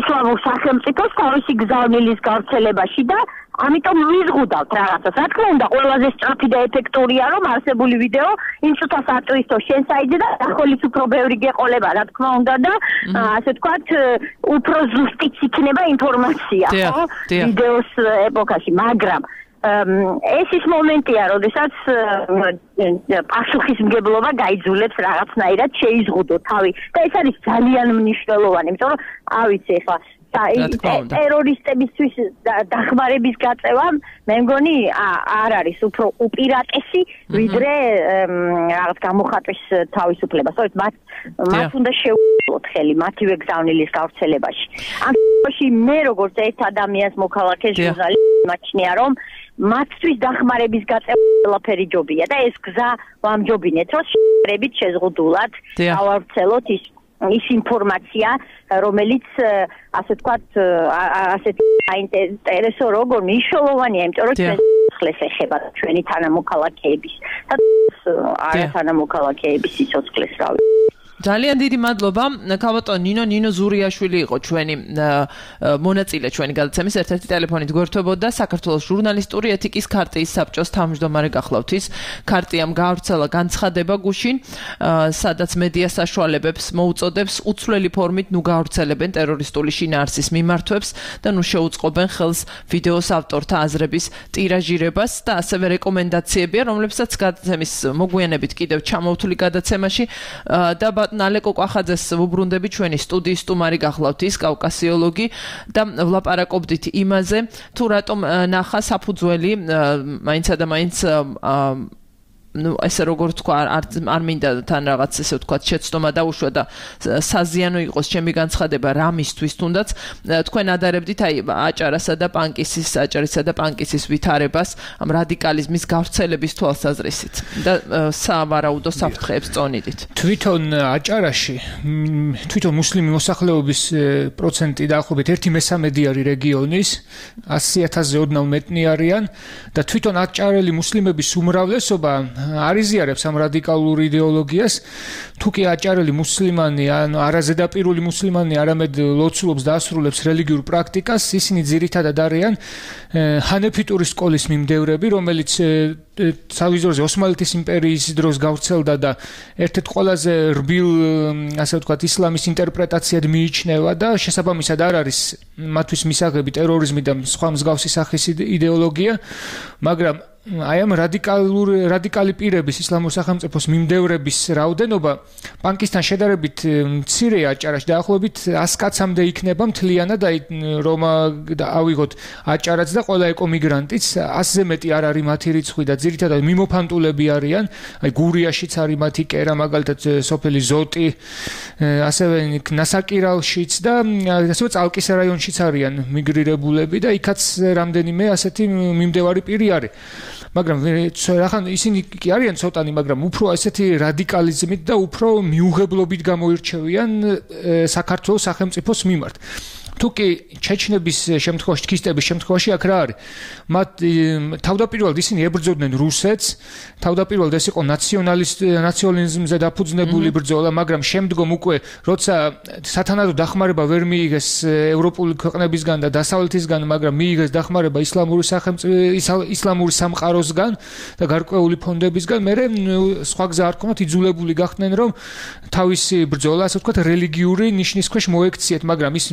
ისლამურ სახელმწიფოს თავისი გზავნილის გავრცელებაში და ამიტომ ვიზღუდავთ რაღაცას. რა თქმა უნდა, ყველაზე სწრაფი და ეფექტურია რომ არსებული ვიდეო იმ წუთას აწვისო შენ საიდზე და ახოლის უფრო ბევრი გეყოლება, რა თქმა უნდა და ასე ვთქვათ, უფრო ზუსტიც იქნება ინფორმაცია, ხო? ვიდეოს ეპოქაში, მაგრამ ეს ის მომენტია, როდესაც პასუხისმგებლობა გაიძულებს რაღაცნაირად შეიზღუდო თავი და ეს არის ძალიან მნიშვნელოვანი, იმიტომ რომ ავიცი ხა ტერორისტებისთვის დახმარების გაწევა მე მგონი არ არის უფრო უპირატესი ვიდრე რაღაც გამოხატვის თავისუფლება. სწორედ მათ მათ უნდა შეუძლოთ ხელი მათივე გზავნილის გავრცელებაში. ამ შემთხვევაში მე როგორც ერთ ადამიანს მოქალაქე ჟურნალისტი მაჩნია რომ მათთვის დახმარების გაწევა ყველაფერი ჯობია და ეს გზა ვამჯობინეთ რომ შეერებით შეზღუდულად გავავრცელოთ ის ის ინფორმაცია, რომელიც ასე ვთქვათ, ასეთ აინტერესო როგორ მნიშვნელოვანია, იმიტომ რომ ჩვენ სიცოცხლეს ეხება ჩვენი თანამოქალაქეების და არა თანამოქალაქეების სიცოცხლეს, რა ვიცი. ძალიან დიდი მადლობა. ქალბატონ ნინო ნინო ზურიაშვილი იყო ჩვენი მონაწილე ჩვენი გადაცემის ერთ-ერთი ტელეფონით გვერდებოდა საქართველოს ჟურნალისტური ეთიკის ქარტიის საბჭოს თავმჯდომარე გახლავთ ის ქარტიამ გავრცელა განცხადება გუშინ, სადაც მედია საშუალებებს მოუწოდებს უცვლელი ფორმით ნუ გავრცელებენ ტერორისტული შინაარსის მიმართვებს და ნუ შეუწყობენ ხელს ვიდეოს ავტორთა აზრების ტირაჟირებას და ასევე რეკომენდაციებია, რომლებსაც გადაცემის მოგვიანებით კიდევ ჩამოვთვლი გადაცემაში და ნალეკო კვახაძეს ვუბრუნდები ჩვენი სტუდიის სტუმარი გახლავთ ის კავკასიოლოგი და ვლაპარაკობდით იმაზე თუ რატომ ნახა საფუძველი მაინცა და მაინც ну ესე როგორ თქვა არ არ მინდა თან რაღაც ესე ვთქვა შეცდომა დაუშვა და საზიანო იყოს ჩემი განცხადება რამისთვის თუნდაც თქვენ ადარებდით აი აჭარასა და პანკისის აჭარისა და პანკისის ვითარებას ამ რადიკალიზმის გავრცელების თვალსაზრისით და სავარაუდო საფრთხეებს წონიდით. თვითონ აჭარაში თვითონ მუსლიმი მოსახლეობის პროცენტი დაახლოებით ერთი მესამედი არის რეგიონის ასი ათასზე ოდნავ მეტნი არიან და თვითონ აჭარელი მუსლიმების უმრავლესობა არიზიარებს ამ რადიკალურ იდეოლოგიას, თუ კი აჭარელი მუსლიმანი ან არაზედაპირული მუსლიმანი არამედ ლოცულობს და ასრულებს რელიგიურ პრაქტიკას, ისინი ძირითადად არიან ჰანეფიტური სკოლის მიმდევრები, რომელიც სავიზორზე ოსმალეთის იმპერიის დროს გავრცელდა და ერთ-ერთ ყველაზე რბილ, ასე ვთქვათ, ისლამის ინტერპრეტაციად მიიჩნევა და შესაბამისად არ არის მათთვის მისაღები ტერორიზმი და სხვა მსგავსი სახის იდეოლოგია, მაგრამ აი ამ რადიკალურ რადიკალი პირების ისლამურ სახელმწიფოს მიმდევრების რაოდენობა პანკისთან შედარებით მცირეა აჭარაში დაახლოებით ას კაცამდე იქნება მთლიანად აი რომ ავიღოთ აჭარაც და ყველა ეკომიგრანტიც ასზე მეტი არ არის მათი რიცხვი და ძირითადად მიმოფანტულები არიან აი გურიაშიც არის მათი კერა მაგალითად სოფელი ზოტი ასევე ნასაკირალშიც და ასევე წალკის რაიონშიც არიან მიგრირებულები და იქაც რამდენიმე ასეთი მიმდევარი პირი არის მაგრამ რახან ისინი კი არიან ცოტანი, მაგრამ უფრო ასეთი რადიკალიზმით და უფრო მიუღებლობით გამოირჩევიან საქართველოს სახელმწიფოს მიმართ. თუკი ჩეჩნების შემთხვევაში, ჩქისტების შემთხვევაში აქ რა არის? მათ თავდაპირველად ისინი ებრძოდნენ რუსეთს, თავდაპირველად ეს იყო ნაციონალისტ ნაციონალიზმზე დაფუძნებული ბრძოლა, მაგრამ შემდგომ უკვე როცა სათანადო დახმარება ვერ მიიღეს ევროპული ქვეყნებისგან და დასავლეთისგან, მაგრამ მიიღეს დახმარება ისლამური სახელმწიფო ისლამური სამყაროსგან და გარკვეული ფონდებისგან, მერე სხვა გზა არ ქონათ, იძულებული გახდნენ რომ თავისი ბრძოლა, ასე ვთქვათ, რელიგიური ნიშნის ქვეშ მოექციეთ, მაგრამ ის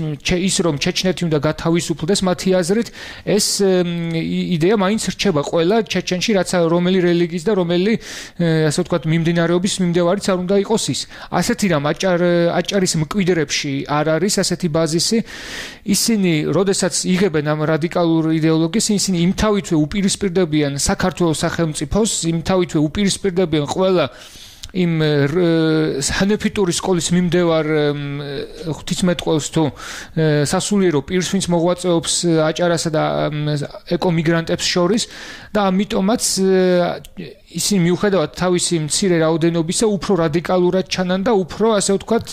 ის რომ ჩეჩნეთი უნდა გათავისუფლდეს, მათი აზრით ეს იდეა მაინც რჩება ყველა ჩეჩენში, რაც რომელი რელიგიის და რომელი ასე ვთქვათ მიმდინარეობის მიმდევარიც არ უნდა იყოს ის. ასეთი რამ აჭარ აჭარის მკვიდრებში არ არის ასეთი ბაზისი. ისინი, როდესაც იღებენ ამ რადიკალურ იდეოლოგიას, ისინი იმთავითვე უპირისპირდებიან საქართველოს სახელმწიფოს, იმთავითვე უპირისპირდებიან ყველა იმ ჰანეფიტური სკოლის მიმდევარ ღვთისმეტყველს თუ სასულიერო პირს, ვინც მოღვაწეობს აჭარასა და ეკომიგრანტებს შორის და ამიტომაც ისინი მიუხედავად თავისი მცირე რაოდენობისა უფრო რადიკალურად ჩანან და უფრო ასე ვთქვათ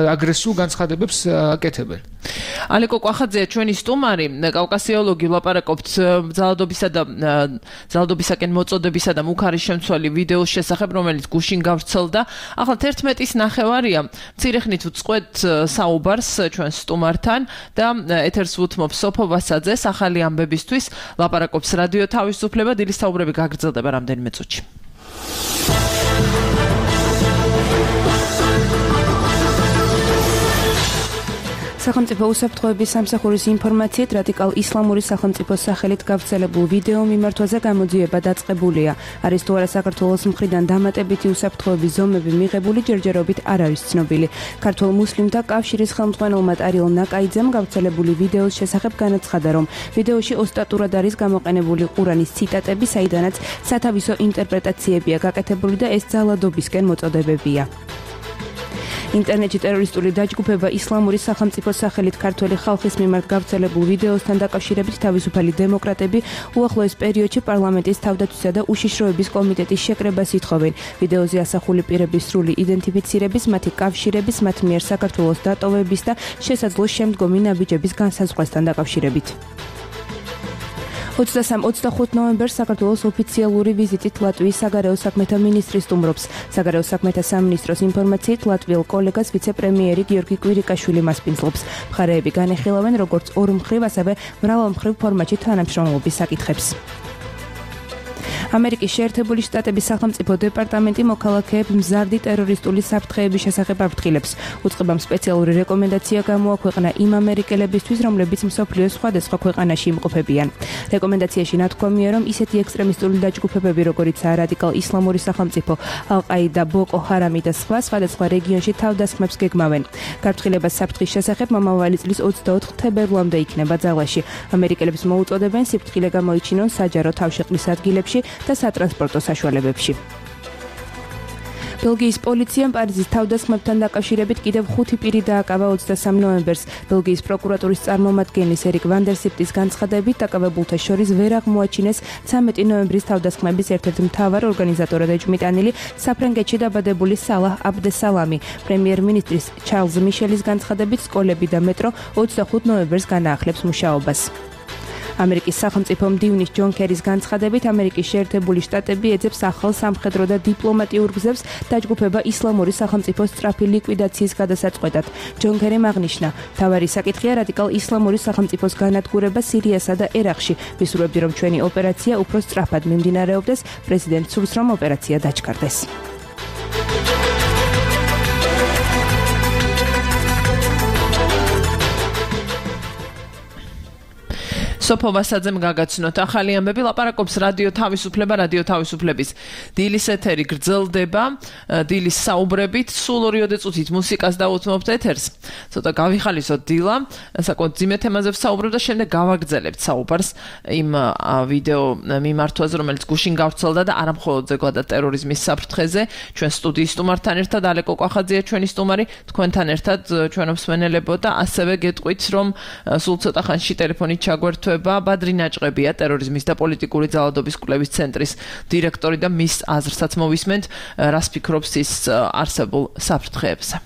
აგრესიულ განცხადებებს აკეთებენ. ალეკო კვახაძეა ჩვენი სტუმარი, კავკასიოლოგი, ვლაპარაკობთ ძალადობისა და ძალადობისაკენ მოწოდებისა და მუქარის შემცველი ვიდეოს შესახებ, რომელიც გუშინ გავრცელდა. ახლა თერთმეტის ნახევარია. მცირე ხნით ვწყვეთ საუბარს ჩვენ სტუმართან და ეთერს ვუთმობ სოფო ვასაძეს ახალი ამბებისთვის. ლაპარაკობს რადიო თავისუფლება, დილის საუბრები გაგრძელდება რამდენიმე წუთში. სახელმწიფო უსაფრთხოების სამსახურის ინფორმაციით რადიკალ ისლამური სახელმწიფოს სახელით გავრცელებულ ვიდეო მიმართვაზე გამოძიება დაწყებულია. არის თუ არა საქართველოს მხრიდან დამატებითი უსაფრთხოების ზომები მიღებული, ჯერჯერობით არ არის ცნობილი. ქართულ მუსლიმთა კავშირის ხელმძღვანელმა ტარიელ ნაკაიძემ გავრცელებული ვიდეოს შესახებ განაცხადა, რომ ვიდეოში ოსტატურად არის გამოყენებული ყურანის ციტატები, საიდანაც სათავისო ინტერპრეტაციებია გაკეთებული და ეს ძალადობისკენ მოწოდებებია. ინტერნეტში ტერორისტული დაჯგუფება ისლამური სახელმწიფოს სახელით ქართველი ხალხის მიმართ გავრცელებულ ვიდეოსთან დაკავშირებით თავისუფალი დემოკრატები უახლოეს პერიოდში პარლამენტის თავდაცვისა და უშიშროების კომიტეტის შეკრებას ითხოვენ. ვიდეოზე ასახული პირების სრული იდენტიფიცირების, მათი კავშირების, მათ მიერ საქართველოს დატოვების და შესაძლო შემდგომი ნაბიჯების განსაზღვრასთან დაკავშირებით. ოცდასამ ოცდახუთ ნოემბერს საქართველოს ოფიციალური ვიზიტით ლატვიის საგარეო საქმეთა მინისტრი სტუმრობს. საგარეო საქმეთა სამინისტროს ინფორმაციით ლატვიელ კოლეგას ვიცე-პრემიერი გიორგი კვირიკაშვილი მასპინძლობს. მხარეები განეხილავენ როგორც ორმხრივ, ასევე მრავალმხრივ ფორმატში თანამშრომლობის საკითხებს. ამერიკის შეერთებული შტატების სახელმწიფო დეპარტამენტი მოქალაქეებს მზარდი ტერორისტული საფრთხეების შესახებ აფრთხილებს. უწყებამ სპეციალური რეკომენდაცია გამოაქვეყნა იმ ამერიკელებისთვის, რომლებიც მსოფლიოს სხვადასხვა ქვეყანაში იმყოფებიან. რეკომენდაციაში ნათქვამია, რომ ისეთი ექსტრემისტული დაჯგუფებები, როგორიცაა რადიკალ ისლამური სახელმწიფო, ალ-ყაიდა, ბოკო ჰარამი და სხვა, სხვადასხვა რეგიონში თავდასხმებს გეგმავენ. გაფრთხილებას საფრთხის შესახებ მომავალი წლის ოცდაოთხ თებერვლამდე იქნება ძალაში. ამერიკელებს მოუწოდებენ სიფრთხილე გამოიჩინონ საჯარო თავშეყრის ადგილებში და სატრანსპორტო საშუალებებში. ბელგიის პოლიციამ პარიზის თავდასხმებთან დაკავშირებით კიდევ ხუთი პირი დააკავა ოცდასამ ნოემბერს. ბელგიის პროკურატურის წარმომადგენლის ერიკ ვანდერსიპტის განცხადებით, დაკავებულთა შორის ვერ აღმოაჩინეს ცამეტი ნოემბრის თავდასხმების ერთ-ერთი მთავარ ორგანიზატორად ეჭვმიტანილი საფრანგეთში დაბადებული სალაჰ აბდესალამი. პრემიერ-მინისტრის ჩარლზ მიშელის განცხადებით, სკოლები და მეტრო ოცდახუთ ნოემბერს განაახლებს მუშაობას. ამერიკის სახელმწიფო მდივნის ჯონ კერის განცხადებით, ამერიკის შეერთებული შტატები ეძებს ახალ სამხედრო და დიპლომატიურ გზებს დაჯგუფება ისლამური სახელმწიფოს სწრაფი ლიკვიდაციის გადასაწყვეტად. ჯონ კერიმ აღნიშნა, მთავარი საკითხია რადიკალ ისლამური სახელმწიფოს განადგურება სირიასა და ერაყში. ვისურვებდი, რომ ჩვენი ოპერაცია უფრო სწრაფად მიმდინარეობდეს, პრეზიდენტ სურს, რომ ოპერაცია დაჩქარდეს. სოფო ვასაძემ გაგაცნოთ ახალი ამბები, ლაპარაკობს რადიო თავისუფლება, რადიო თავისუფლების დილის ეთერი გრძელდება, დილის საუბრებით, სულ ორიოდე წუთით მუსიკას დავუთმობთ ეთერს. ცოტა გავიხალისოთ დილა, საკმაოდ ძიმე თემაზე ვსაუბრობ და შემდეგ გავაგრძელებთ საუბარს იმ ვიდეო მიმართვაზე, რომელიც გუშინ გავრცელდა და არა მხოლოდ ზოგადად ტერორიზმის საფრთხეზე. ჩვენ სტუდიის სტუმართან ერთად ალეკო კვახაძეა ჩვენი სტუმარი, თქვენთან ერთად ჩვენ მსმენელებო და ასევე გეტყვით, რომ სულ ცოტა ხანში ტელეფონით ჩაგვერთვება ბადრი ნაჭყებია, ტერორიზმის და პოლიტიკური ძალადობის კვლევის ცენტრის დირექტორი და მის აზრსაც მოვისმენთ, რას ფიქრობს ის არსებულ საფრთხეებზე.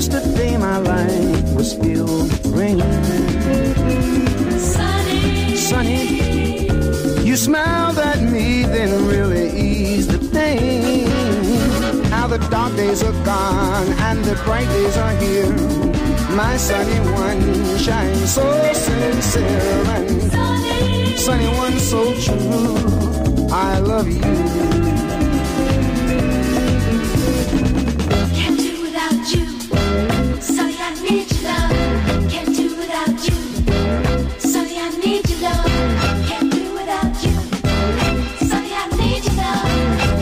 Yesterday my life was filled with rain. Sunny, sunny, you smiled at me, then really eased the pain. Now the dark days are gone and the bright days are here. My sunny one shines so sincere and sunny, sunny one so true. I love you. Can't do without you. Sunny, I need your love. Can't do without you. Sunny, I need your love. Can't do without you. Sunny, I need your love.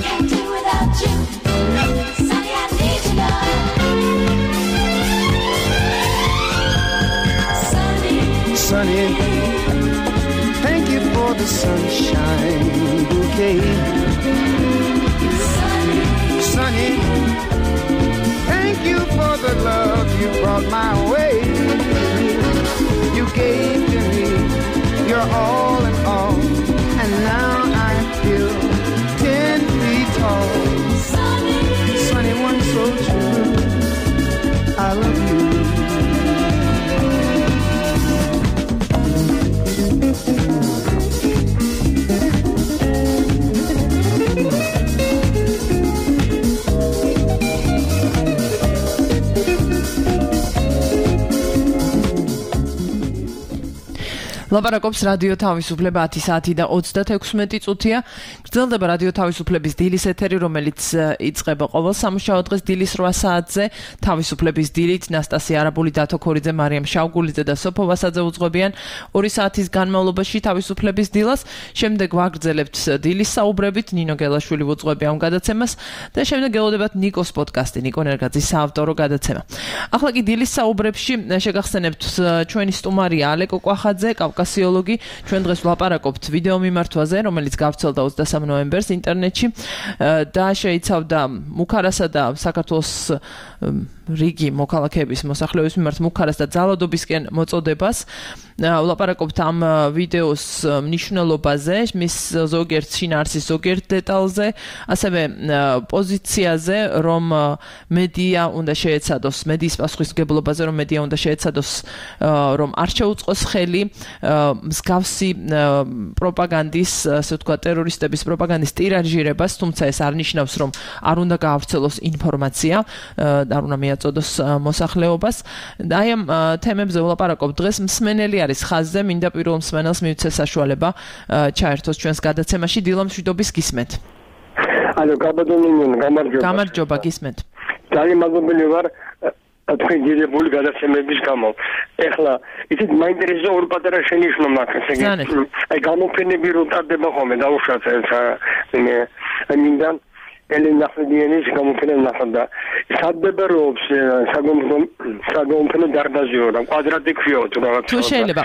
Can't do without you. Sunny, I need your love. Sunny, Sunny, thank you for the sunshine bouquet. sunny, Sunny, thank you for the love you brought my way. You gave to me your all in all, and now I feel ten feet tall. sunny, Sunny one so true, I love you. ლაპარაკობს რადიო თავისუფლება ათი საათი და ოცდათექვსმეტი წუთია. გრძელდება რადიო თავისუფლების დილის ეთერი, რომელიც იწყება ყოველ სამუშაო დღეს დილის რვა საათზე. თავისუფლების დილით ნასტასია არაბული, დათო ქორიძე, მარიამ შავგულიძე და სოფო ვასაძე უძღვებიან ორი საათის განმავლობაში თავისუფლების დილას. შემდეგ ვაგრძელებთ დილის საუბრებით, ნინო გელაშვილი უძღვებია ამ გადაცემას და შემდეგ გელოდებათ ნიკოს პოდკასტი, ნიკო ნერგაძის საავტორო გადაცემა. ახლა კი დილის საუბრებში შეგახსენებთ ჩვენი სტუმარია ალეკო კვახაძე, კავკასიოლოგი. ჩვენ დღეს ვლაპარაკობთ ვიდეო მიმართვაზე, რომელიც გავრცელდა ოცდასამ ნოემბერს ინტერნეტში და შეიცავდა მუქარასა და საქართველოს რიგი მოქალაქეების მოსახლეობის მიმართ მუქარას და ძალადობისკენ მოწოდებას. ვლაპარაკობთ ამ ვიდეოს მნიშვნელობაზე, მის ზოგიერთ შინაარსის ზოგიერთ დეტალზე, ასევე პოზიციაზე, რომ მედია უნდა შეეცადოს, მედიის პასუხისმგებლობაზე, რომ მედია უნდა შეეცადოს, რომ არ შეუწყოს ხელი მსგავსი პროპაგანდის, ასე ვთქვათ, ტერორისტების პროპაგანდის ტირაჟირებას, თუმცა ეს არ ნიშნავს, რომ არ უნდა გაავრცელოს ინფორმაცია, არ უნდა მიაწოდოს მოსახლეობას. და აი ამ თემებზე ვლაპარაკობ დღეს. მსმენელი არის ხაზზე, მინდა პირველ მსმენელს მივცე საშუალება ჩაერთოს ჩვენს გადაცემაში. დილა მშვიდობის გისმენთ. ალო, გაბადონინონ, გამარჯობა. გამარჯობა, გისმენთ. ძალიან მადლობელი ვარ თქვენ ძირებული გადაცემების გამო. ეხლა ისეთ მაინტერესებს ორ პატარა შენიშვნა მაქვს, ესე იგი, აი გამოფენები რო ტარდება ხოლმე დაუშვათ ეს მე მინდა ელენა ხდიანის გამოფენა ნახდა. სადებერობს საგამოფენო დარბაზიო და კვადრატი ქვიო თუ რაღაც. თუ შეიძლება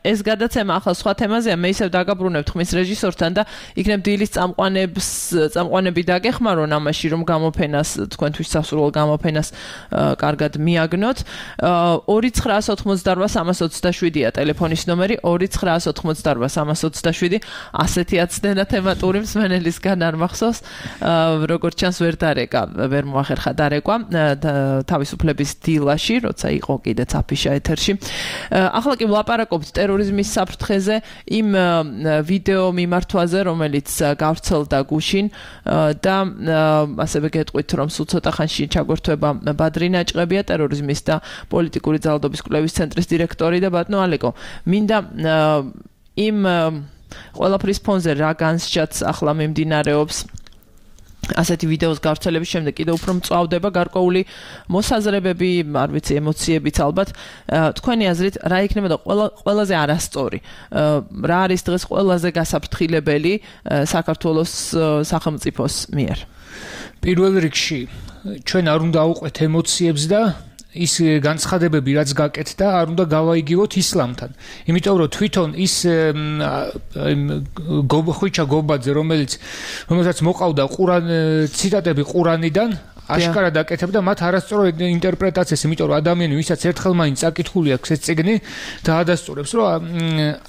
ეს გადაცემა ახლა სხვა თემაზეა, მე ისევ დაგაბრუნებთ ხმის რეჟისორთან და იქნებ დილის წამყვანებს წამყვანები დაგეხმარონ ამაში, რომ გამოფენას თქვენთვის სასურველ გამოფენას კარგად მიაგნოთ. ორი ცხრაას ოთხმოცდარვა სამას ოცდაშვიდია ტელეფონის ნომერი, ორი ცხრაას ოთხმოცდარვა სამას ოცდაშვიდი. ასეთი აცდენა თემატური მსმენელისგან არ მახსოვს. როგორც ჩანს ვერ დარეკა, ვერ მოახერხა დარეკვა თავისუფლების დილაში, როცა იყო კიდეც აფიშა ეთერში. ახლა კი ვლაპარაკობთ ტერორიზმის საფრთხეზე, იმ ვიდეო მიმართვაზე, რომელიც გავრცელდა გუშინ და ასევე გეტყვით, რომ სულ ცოტა ხანში ჩაგვერთვება ბადრი ნაჭყებია, ტერორიზმის და პოლიტიკური ძალადობის კვლევის ცენტრის დირექტორი და ბატონო ალეკო. მინდა იმ ყველაფრის ფონზე რა განსჯაც ახლა მიმდინარეობს ასეთი ვიდეოს გავრცელების შემდეგ კიდევ უფრო მწვავდება გარკვეული მოსაზრებები, არ ვიცი, ემოციებიც ალბათ. თქვენი აზრით, რა იქნება და ყველაზე არასწორი, რა არის დღეს ყველაზე გასაფრთხილებელი საქართველოს სახელმწიფოს მიერ? პირველ რიგში, ჩვენ არ უნდა ავუყვეთ ემოციებს და ის განცხადებები, რაც გაკეთდა, არ უნდა გავაიგივოთ ისლამთან. იმიტომ რომ თვითონ ის ხვიჩა გობაძე, რომელიც რომელსაც მოყავდა ყურან ციტატები ყურანიდან, აშკარად აკეთებდა მათ არასწორ ინტერპრეტაციას, იმიტომ რომ ადამიანი, ვისაც ერთხელ მაინც აკითხული აქვს ეს წიგნი, დაადასტურებს, რომ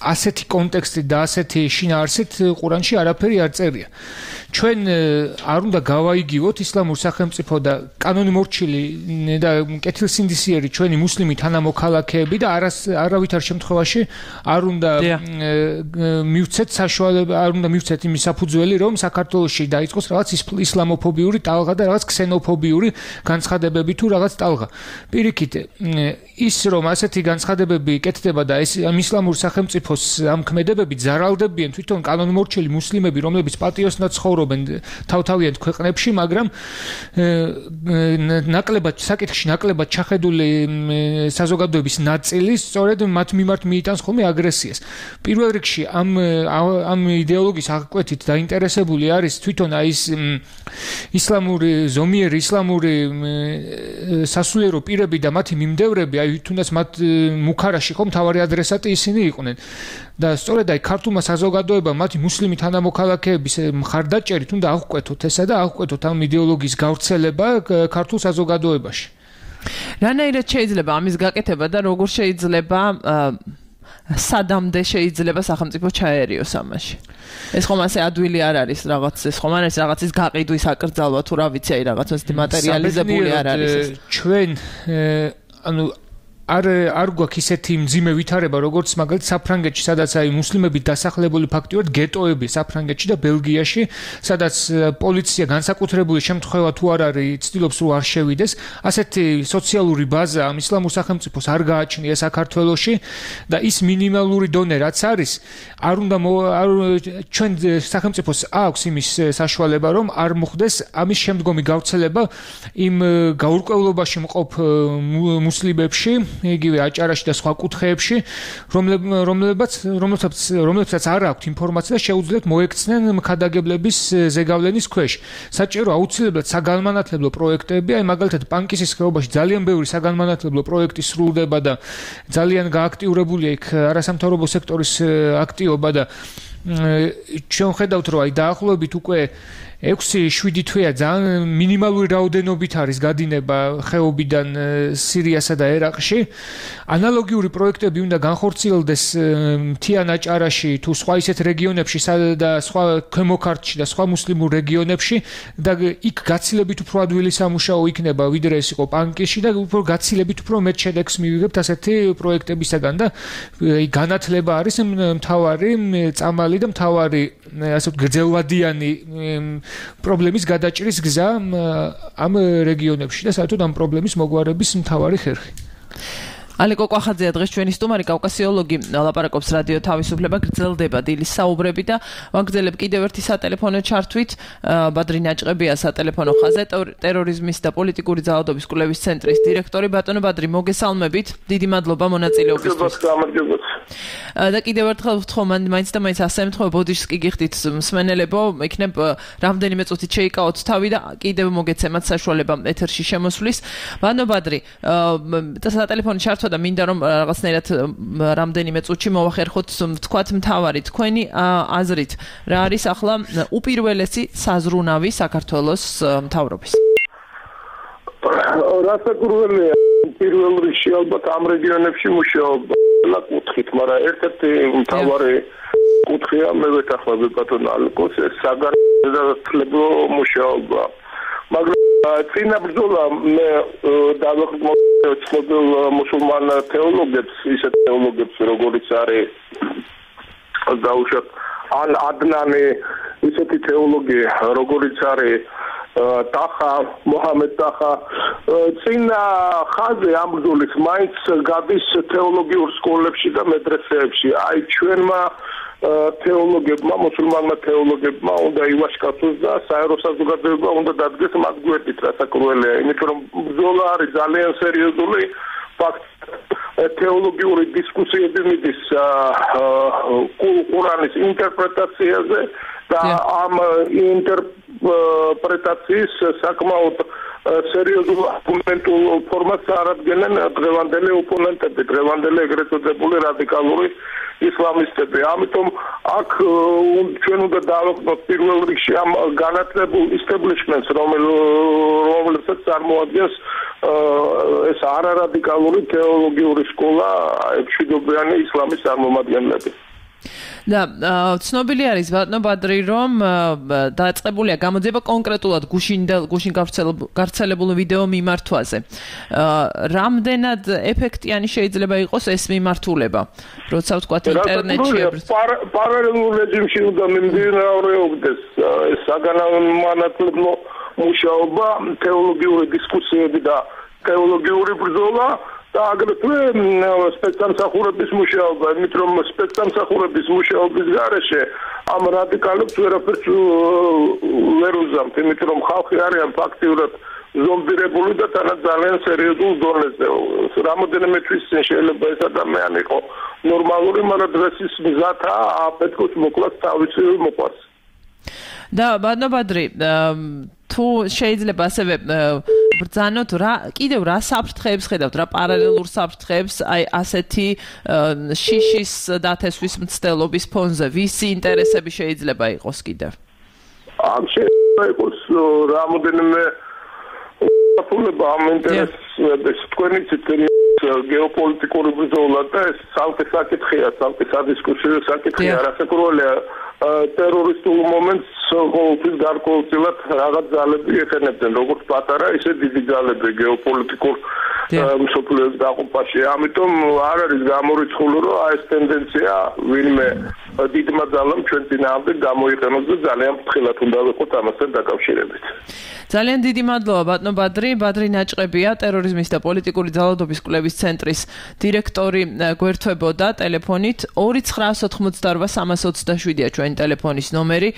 ასეთი კონტექსტით და ასეთი შინაარსით ყურანში არაფერი არ წერია. ჩვენ არ უნდა გავაიგივოთ ისლამურ სახელმწიფო და კანონი მორჩილი და კეთილსინდისიერი ჩვენი მუსლიმი თანამოქალაქეები და არას არავითარ შემთხვევაში არ უნდა მივცეთ საშუალება, არ უნდა მივცეთ იმის საფუძველი, რომ საქართველოში დაიწყოს რაღაც ისლამოფობიური ტალღა და რაღაც ქსენოფობიური განცხადებები თუ რაღაც ტალღა. პირიქით, ის რომ ასეთი განცხადებები კეთდება და ეს ისლამურ სახელმწიფოს ამ ქმედებები ზარალდებიან თვითონ კანონმორჩილი მუსლიმები, რომლებიც პატიოსნად ცხოვრობენ თავთავიანთ ქვეყნებში, მაგრამ ნაკლებად საკითხში ნაკლებად ჩახედული საზოგადოების ნაწილი სწორედ მათ მიმართ მიიტანს ხოლმე აგრესიას. პირველ რიგში ამ ამ იდეოლოგიის აღკვეთით დაინტერესებული არის თვითონ აი ეს ისლამური ზომიერი ისლამური სასულიერო პირები და მათი მიმდევრები, აი თუნდაც მათ მუქარაში ხომ თავარი ადრესატი ისინი იყვნენ. და სწორედ აი ქართულმა საზოგადოებამ მათი მუსლიმი თანამოქალაქეების მხარდაჭერით უნდა აღკვეთოთ ესა და აღკვეთოთ ამ იდეოლოგიის გავრცელება ქართულ საზოგადოებაში. რანაირად შეიძლება ამის გაკეთება და როგორ შეიძლება სადამდე შეიძლება სახელმწიფო ჩაერიოს ამაში? ეს ხომ ასე ადვილი არ არის რაღაც, ეს ხომ არ არის რაღაცის გაყიდვის აკრძალვა თუ რა ვიცი, აი რაღაც ასეთი მატერიალიზებული არ არის ეს. ჩვენ ანუ არ არ გვაქვს ისეთი მძიმე ვითარება, როგორც მაგალითად საფრანგეთში, სადაც აი მუსლიმები დასახლებული ფაქტიურად გეტოები საფრანგეთში და ბელგიაში, სადაც პოლიცია განსაკუთრებული შემთხვევა თუ არ არის, ცდილობს რომ არ შევიდეს, ასეთი სოციალური ბაზა ამ ისლამურ სახელმწიფოს არ გააჩნია საქართველოში და ის მინიმალური დონე რაც არის, არ უნდა ჩვენ სახელმწიფოს აქვს იმის საშუალება, რომ არ მოხდეს ამის შემდგომი გავრცელება იმ გაურკვევლობაში მყოფ მუსლიმებში, იგივე აჭარაში და სხვა კუთხეებში, რომლებსაც რომლებსაც რომლებსაც არ აქვთ ინფორმაცია და შეუძლიათ მოექცნენ მქადაგებლების ზეგავლენის ქვეშ. საჭირო აუცილებლად საგანმანათლებლო პროექტები, აი მაგალითად პანკისის ხეობაში ძალიან ბევრი საგანმანათლებლო პროექტი სრულდება და ძალიან გააქტიურებულია იქ არასამთავრობო სექტორის აქტივობა და ჩვენ ხედავთ, რომ აი დაახლოებით უკვე ექვსი შვიდი თვეა ძალიან მინიმალური რაოდენობით არის გადინება ხეობიდან სირიასა და ერაყში. ანალოგიური პროექტები უნდა განხორციელდეს მთიან აჭარაში თუ სხვა ისეთ რეგიონებში და სხვა ქვემო ქართლში და სხვა მუსლიმურ რეგიონებში და იქ გაცილებით უფრო ადვილი სამუშაო იქნება ვიდრე ეს იყო პანკისში და უფრო გაცილებით უფრო მეტ შედეგს მივიღებთ ასეთი პროექტებისაგან და განათლება არის მთავარი წამალი და მთავარი ასე გრძელვადიანი პრობლემის გადაჭრის გზა ამ რეგიონებში და საერთოდ ამ პრობლემის მოგვარების მთავარი ხერხი. ალეკო კვახაძეა დღეს ჩვენი სტუმარი, კავკასიოლოგი, ლაპარაკობს რადიო თავისუფლება, გრძელდება დილის საუბრები და ვაგრძელებ კიდევ ერთი სატელეფონო ჩართვით. ბადრი ნაჭყებია სატელეფონო ხაზზე, ტერორიზმის და პოლიტიკური ძალადობის კვლევის ცენტრის დირექტორი. ბატონო ბადრი, მოგესალმებით. დიდი მადლობა მონაწილეობისთვის. და კიდევ ერთხელ ვთხოვ, მაინც და მაინც ასე ემთხოვ, ბოდიშს კი გიხდით მსმენელებო, იქნებ რამდენიმე წუთით შეიკავოთ თავი და კიდევ მოგეცემათ საშუალება ეთერში შემოსვლის. ბატონო ბადრი, სატელეფონო ჩართვა და მინდა რომ რაღაცნაირად რამდენიმე წუთში მოვახერხოთ თქვათ მთავარი თქვენი აზრით რა არის ახლა უპირველესი საზრუნავი საქართველოს მთავრობის? რასაკურველია პირველ რიგში ალბათ ამ რეგიონებში მუშაობა კუთხით, მაგრამ ერთ-ერთი მთავარი კუთხეა მე ვეთანხმები ბატონ ალკოს საგანმანათლებლო მუშაობა. მაგრამ წინა ბრძოლა მე დავახმოვანებ ცნობილ მუსულმან თეოლოგებს, ისეთ თეოლოგებს როგორიც არის დაუშვათ ან ადნანი, ისეთი თეოლოგი როგორიც არის ტახა, მოჰამედ ტახა, წინა ხაზი ამ ბრძოლის მაინც გადის თეოლოგიურ სკოლებში და მედრესეებში. აი ჩვენმა თეოლოგებმა, მუსულმანმა თეოლოგებმა უნდა ივაშკაცოს და საერო საზოგადოება უნდა დადგეს მათ გვერდით, რასაკურველია, იმიტომ რომ ბრძოლა არის ძალიან სერიოზული. ფაქტ თეოლოგიური დისკუსიები მიდის ყურანის ინტერპრეტაციაზე და ამ ინტერპრეტაციის საკმაოდ სერიოზულ არგუმენტულ ფორმატს არადგენენ დღევანდელი ოპონენტები, დღევანდელი ეგრეთ წოდებული რადიკალური ისლამისტები. ამიტომ აქ ჩვენ უნდა დავაყნოთ პირველ რიგში ამ განათლებულ establishments, რომელსაც წარმოადგენს ეს არარადიკალური თეოლოგიური სკოლა, მშვიდობიანი ისლამის წარმომადგენლები. და ცნობილი არის ბატონო ბადრი, რომ დაწყებულია გამოძიება კონკრეტულად გუშინ გუშინ გავრცელებულ ვიდეო მიმართვაზე. რამდენად ეფექტიანი შეიძლება იყოს ეს მიმართულება, როცა ვთქვათ ინტერნეტში პარალელურ რეჟიმში უნდა მიმდინარეობდეს ეს საგანმანათლებლო მუშაობა, თეოლოგიური დისკუსიები და თეოლოგიური ბრძოლა და აგრეთვე სპეცსამსახურების მუშაობა, იმით რომ სპეცსამსახურების მუშაობის გარეშე ამ რადიკალებს ვერაფერს ვერ უზამთ, იმით რომ ხალხი არიან ფაქტიურად ზომბირებული და თანაც ძალიან სერიოზულ დონეზე. რამოდენიმე თვის წინ შეიძლება ეს ადამიანი იყო ნორმალური, მაგრამ დღეს ის მზადაა აფეთქოს მოკლას თავისი მოყვარს. და ბატონო ბადრი, თუ შეიძლება ასევე ბრძანოთ რა კიდევ რა საფრთხეებს ხედავთ, რა პარალელურ საფრთხეებს აი ასეთი შიშის დათესვის მცდელობის ფონზე, ვისი ინტერესები შეიძლება იყოს კიდევ? ამ შეიძლება იყოს რამოდენიმე საფულება ამ ინტერესებს, თქვენი ციტირი გეოპოლიტიკური ბრძოლა და ეს სამკე საკითხია, სამკე სადისკუსიო საკითხია, რასაკურველია ტერორისტულ მომენტს ყოველთვის გარკვეულწილად რაღაც ძალები ეხენებდნენ, როგორც პატარა, ისე დიდი ძალები გეოპოლიტიკურ მსოფლიოს დაყოფაში. ამიტომ არ არის გამორიცხული, რომ ეს ტენდენცია ვინმე დიდმა ძალამ ჩვენ წინააღმდეგ გამოიყენოს და ძალიან ფრთხილად უნდა ვიყოთ ამასთან დაკავშირებით. ძალიან დიდი მადლობა ბატონო ბადრი, ბადრი ნაჭყებია, ტერორიზმის და პოლიტიკური ძალადობის კვლევის ცენტრის დირექტორი გვერდთვებოდა ტელეფონით ორი ცხრაას ოთხმოცდაორვა სამას ოცდაშვიდია ჩვენი ტელეფონის ნომერი.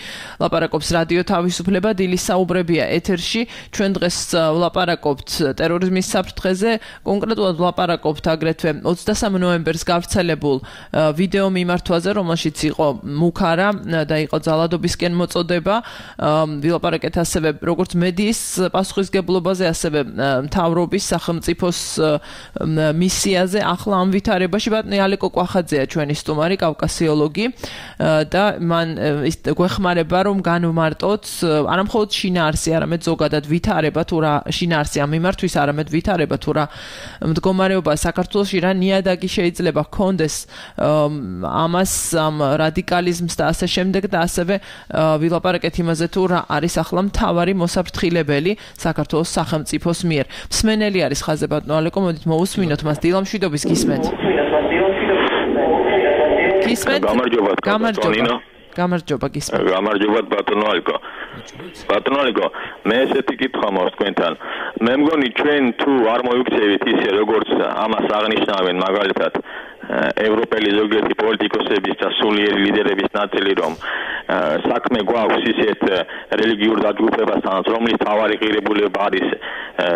ლაპარაკობს რადიო თავისუფლება, დილის საუბრებია ეთერში. ჩვენ დღეს ვლაპარაკობთ ტერორიზმის საფრთხეზე, კონკრეტულად ვლაპარაკობთ აგრეთვე ოცდასამ ნოემბერს გავრცელებულ ვიდეო მიმართვაზე, რომელშიც იყო მუქარა და იყო ძალადობისკენ მოწოდება. ვილაპარაკეთ ასევე როგორც მედიის პასუხისგებლობაზე, ასევე მთავრობის სახელმწიფოს მისიაზე. ახლა ამ ვითარებაში ბატონი ალეკო კვახაძეა ჩვენი სტუმარი, კავკასიოლოგი და მან გვეხმარება რომ განვმარტოთ არა მხოლოდ შინაარსი, არამედ ზოგადად ვითარება თუ რა შინაარსი ამ მიმართვის, არამედ ვითარება თუ რა მდგომარეობა საქართველოში, რა ნიადაგი შეიძლება ჰქონდეს ამას ამ რადიკალიზმს და ასე შემდეგ და ასევე ვილაპარაკეთ იმაზე თუ რა არის ახლა მთავარი მოსაფრთხილებელი საქართველოს სახელმწიფოს მიერ. მსმენელი არის ხაზე ბატონო ალეკო, მოდით მოусმინოთ მას. დილამშვიდობის გისმენთ. გისმენთ. გამარჯობა. გამარჯობა. გამარჯობა გისმენთ. გამარჯობა ბატონო ალეკო. ბატონო ალეკო, მე ესეთი კითხვა მაქვს თქვენთან. მე მგონი ჩვენ თუ არ მოიქცევით ისე როგორც ამას აღნიშნავენ მაგალითად ევროპელი ზოგიერთი პოლიტიკოსების და სულიერი ლიდერების ნაწილი, რომ საქმე გვაქვს ისეთ რელიგიურ დაჯგუფებასთან, რომლის თავარი ღირებულება არის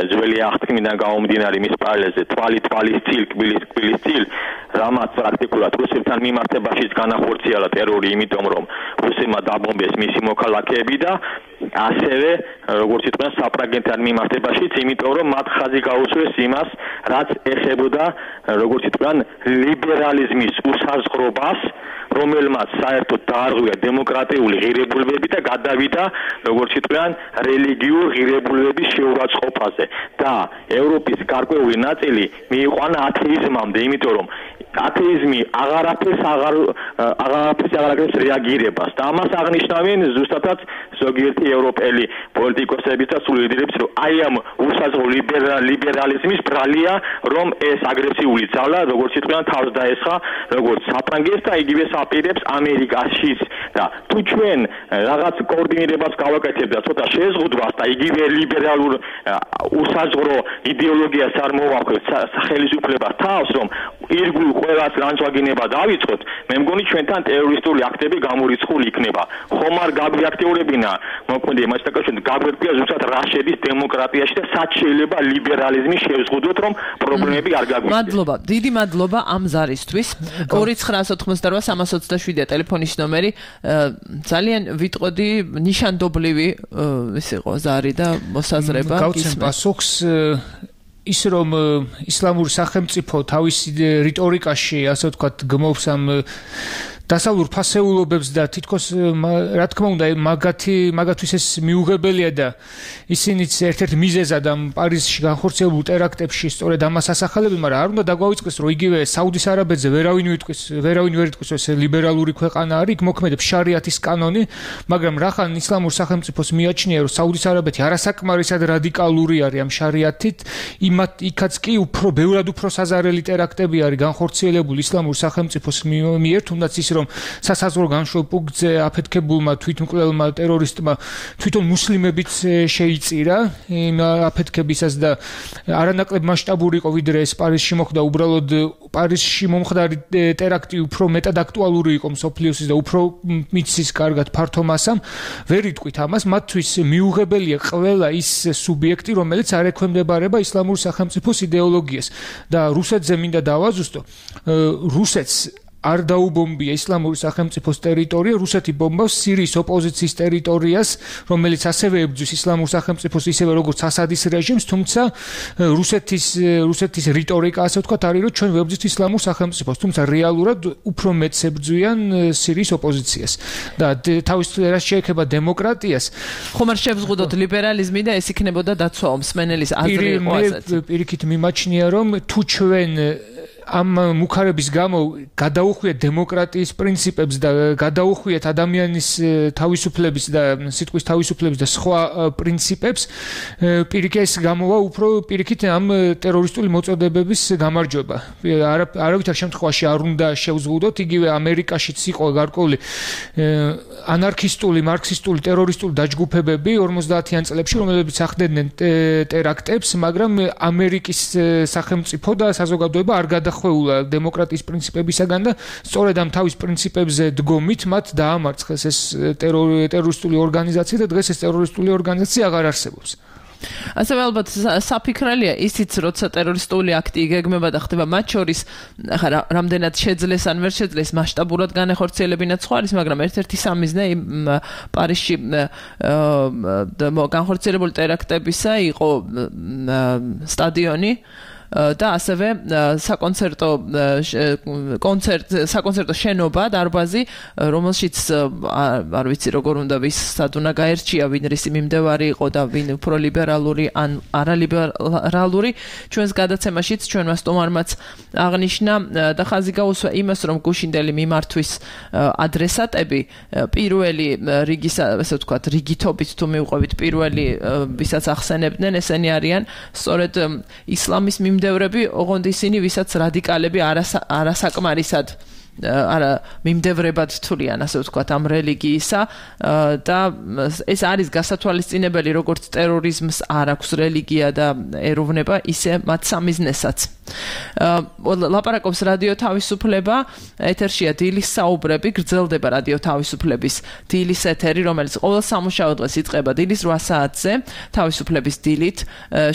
ძველი აღთქმიდან გამომდინარე მის პარალელზე თვალი თვალის წილ, კბილის კბილის წილ, რამაც პრაქტიკულად რუსებთან მიმართებაშიც განახორციელა ტერორი, იმიტომ რომ რუსებმა დაბომბეს მისი მოქალაქეები და ასევე როგორც იტყვიან საფრანგეთთან მიმართებაშიც, იმიტომ რომ მათ ხაზი გაუსვეს იმას, რაც ეხებოდა როგორც იტყვიან ლიბერალიზმის უსაზღრობას, რომელმაც საერთოდ დაარღვია დემოკრატიული ღირებულებები და გადავიდა როგორც იტყვიან რელიგიურ ღირებულებების შეურაცხყოფაზე და ევროპის გარკვეული ნაწილი მიიყვანა ათეიზმამდე, იმიტომ რომ ათეიზმი აღარაფერს აღარ აღარაფერს აღარაკეთებს რეაგირებას და ამას აღნიშნავენ ზუსტადაც ზოგიერთი ევროპელი პოლიტიკოსების და სულ ლიდერებს, რომ აი ამ უსაზღრო ლიბერალიზმის ბრალია, რომ ეს აგრესიული ძალა როგორც იტყვიან თავს დაესხა როგორც საფრანგეთს და იგივე აპირებს ამერიკაშიც და თუ ჩვენ რაღაც კოორდინირებას გავაკეთებთ და ცოტა შეზღუდვას და იგივე ლიბერალურ უსაზღრო იდეოლოგიას არ მოვახვევთ ხელისუფლებას თავს, რომ ირგვლივ ყველას ლანჩვაგინება დავიწყოთ, მე მგონი ჩვენთან ტერორისტული აქტები გამორიცხული იქნება. ხომ არ გაგვიაქტიურებინა მოქმედი იმას დაკავშირებით გაგვეკვია ზუსტად რა შედის დემოკრატიაში და სად შეიძლება ლიბერალიზმი შევზღუდოთ, რომ პრობლემები არ გაგვიჭირდეს. მადლობა, დიდი მადლობა ამ ზარისთვის. ორი ცხრა ათოთხმოცდარვა სამას ოცდაშვიდია ტელეფონის ნომერი. ძალიან ვიტყოდი ნიშანდობლივი ის იყო ზარი და მოსაზრება. გავცემ პასუხს ის რომ ისლამური სახელმწიფო თავისი რიტორიკაში ასე ვთქვათ გმობს ამ დასავლურ ფასეულობებს და თითქოს რა თქმა უნდა მაგათი მაგათვის ეს მიუღებელია და ისინიც ერთ-ერთ მიზეზად ამ პარიზში განხორციელებულ ტერაქტებში სწორედ ამას ასახელებენ, მაგრამ არ უნდა დაგვაუწყდეს რომ იგივე საუდის არაბეთზე ვერავინ ვიტყვის ვერავინ ვერ იტყვის ეს ლიბერალური ქვეყანა არის, იქ მოქმედებს შარიათის კანონი, მაგრამ რახან ისლამურ სახელმწიფოს მიაჩნია რომ საუდის არაბეთი არასაკმარისად რადიკალური არის ამ შარიათით, იმათ იქაც კი უფრო ბევრად უფრო საზარელი ტერაქტები არის განხორციელებული ისლამურ სახელმწიფოს მიერ, თუნდაც ის რომ სასაზღვრო განშრომ პუნქტზე აფეთქებულმა თვითმკვლელმა ტერორისტმა თვითონ მუსლიმებიც შეიწირა იმ აფეთქებისას და არანაკლებ მასშტაბური იყო ვიდრე ეს პარიზში მოხდა, უბრალოდ პარიზში მომხდარი ტერაქტი უფრო მეტად აქტუალური იყო მსოფლიოსის და უფრო მიცის კარგად ფართო მასამ, ვერ იტყვით ამას, მათთვის მიუღებელია ყველა ის სუბიექტი, რომელიც არ ექვემდებარება ისლამურ სახელმწიფოს იდეოლოგიას და რუსეთზე მინდა დავაზუსტო, რუსეთს არ დაუბომბია ისლამური სახელმწიფოს ტერიტორია, რუსეთი ბომბავს სირიის ოპოზიციის ტერიტორიას, რომელიც ასევე ებრძვის ისლამურ სახელმწიფოს ისევე როგორც ასადის რეჟიმს, თუმცა რუსეთის რუსეთის რიტორიკა ასე ვთქვათ არის, რომ ჩვენ ვებრძვით ისლამურ სახელმწიფოს, თუმცა რეალურად უფრო მეტს ებრძვიან სირიის ოპოზიციას. და თავის რაც შეეხება დემოკრატიას, ხომ არ შევზღუდოთ ლიბერალიზმი და ეს იქნებოდა დაცვა მსმენელის აზრი იყო ასეთი. პირიქით მიმაჩნია რომ თუ ჩვენ ამ მუხარების გამო გადაუხვიეთ დემოკრატიის პრინციპებს და გადაუხვიეთ ადამიანის თავისუფლების და სიტყვის თავისუფლების და სხვა პრინციპებს, პირიქით ეს გამოვა უფრო პირიქით ამ ტერორისტული მოწოდებების გამარჯვება. არავითარ შემთხვევაში არ უნდა შევზღუდოთ, იგივე ამერიკაშიც იყო გარკვეული ანარქისტული, მარქსისტული, ტერორისტული დაჯგუფებები ორმოცდაათიან წლებში, რომლებიც ახდენდნენ ტერაქტებს, მაგრამ ამერიკის სახელმწიფო და საზოგადოება არ გადა ხვეულა დემოკრატიის პრინციპებისაგან და სწორედ ამ თავის პრინციპებზე დგომით მათ დაამარცხეს ეს ტერორისტული ორგანიზაცია და დღეს ეს ტერორისტული ორგანიზაცია აღარ არსებობს. ასევე ალბათ საფიქრელია ისიც, როცა ტერორისტული აქტი იგეგმება და ხდება მათ შორის, ახლა რამდენად შეძლეს ან ვერ შეძლეს მასშტაბურად განეხორციელებინა სხვა არის, მაგრამ ერთ-ერთი სამიზნე იმ პარიზში განხორციელებული ტერაქტებისა იყო სტადიონი და ასევე საკონცერტო კონცერტ საკონცერტო შენობა დარბაზი, რომელშიც არ ვიცი როგორ უნდა ვის სად უნდა გაერჩია ვინ რისი მიმდევარი იყო და ვინ უფრო ლიბერალური ან არალიბერალური. ჩვენს გადაცემაშიც ჩვენმა სტუმარმაც აღნიშნა და ხაზი გაუსვა იმას, რომ გუშინდელი მიმართვის ადრესატები პირველი რიგის, ასე ვთქვათ, რიგითობით თუ მივყვებით პირველი, ვისაც ახსენებდნენ, ესენი არიან სწორედ ისლამის მიმდევრები, ოღონდ ისინი, ვისაც რადიკალები არასაკმარისად არა მიმდევრებად თვლიან, ასე ვთქვათ, ამ რელიგიისა და ეს არის გასათვალისწინებელი, როგორც ტერორიზმს არ აქვს რელიგია და ეროვნება, ისე მათ სამიზნესაც. ლაპარაკობს რადიო თავისუფლება, ეთერშია დილის საუბრები, გრძელდება რადიო თავისუფლების დილის ეთერი, რომელიც ყოველ სამუშაო დღეს იწყება დილის რვა საათზე თავისუფლების დილით,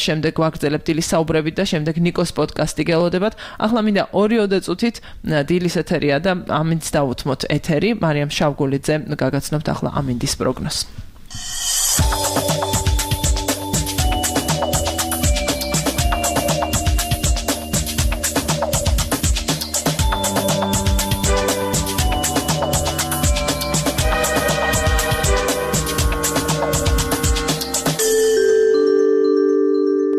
შემდეგ ვაგრძელებთ დილის საუბრებით და შემდეგ ნიკოს პოდკასტი გელოდებათ. ახლა მინდა ორი-ოცდაოთხ წუთით დილის ეთერია და ამინდს დავუთმოთ ეთერი. მარიამ შავგულიძე გაგაცნობთ ახლა ამინდის პროგნოზს.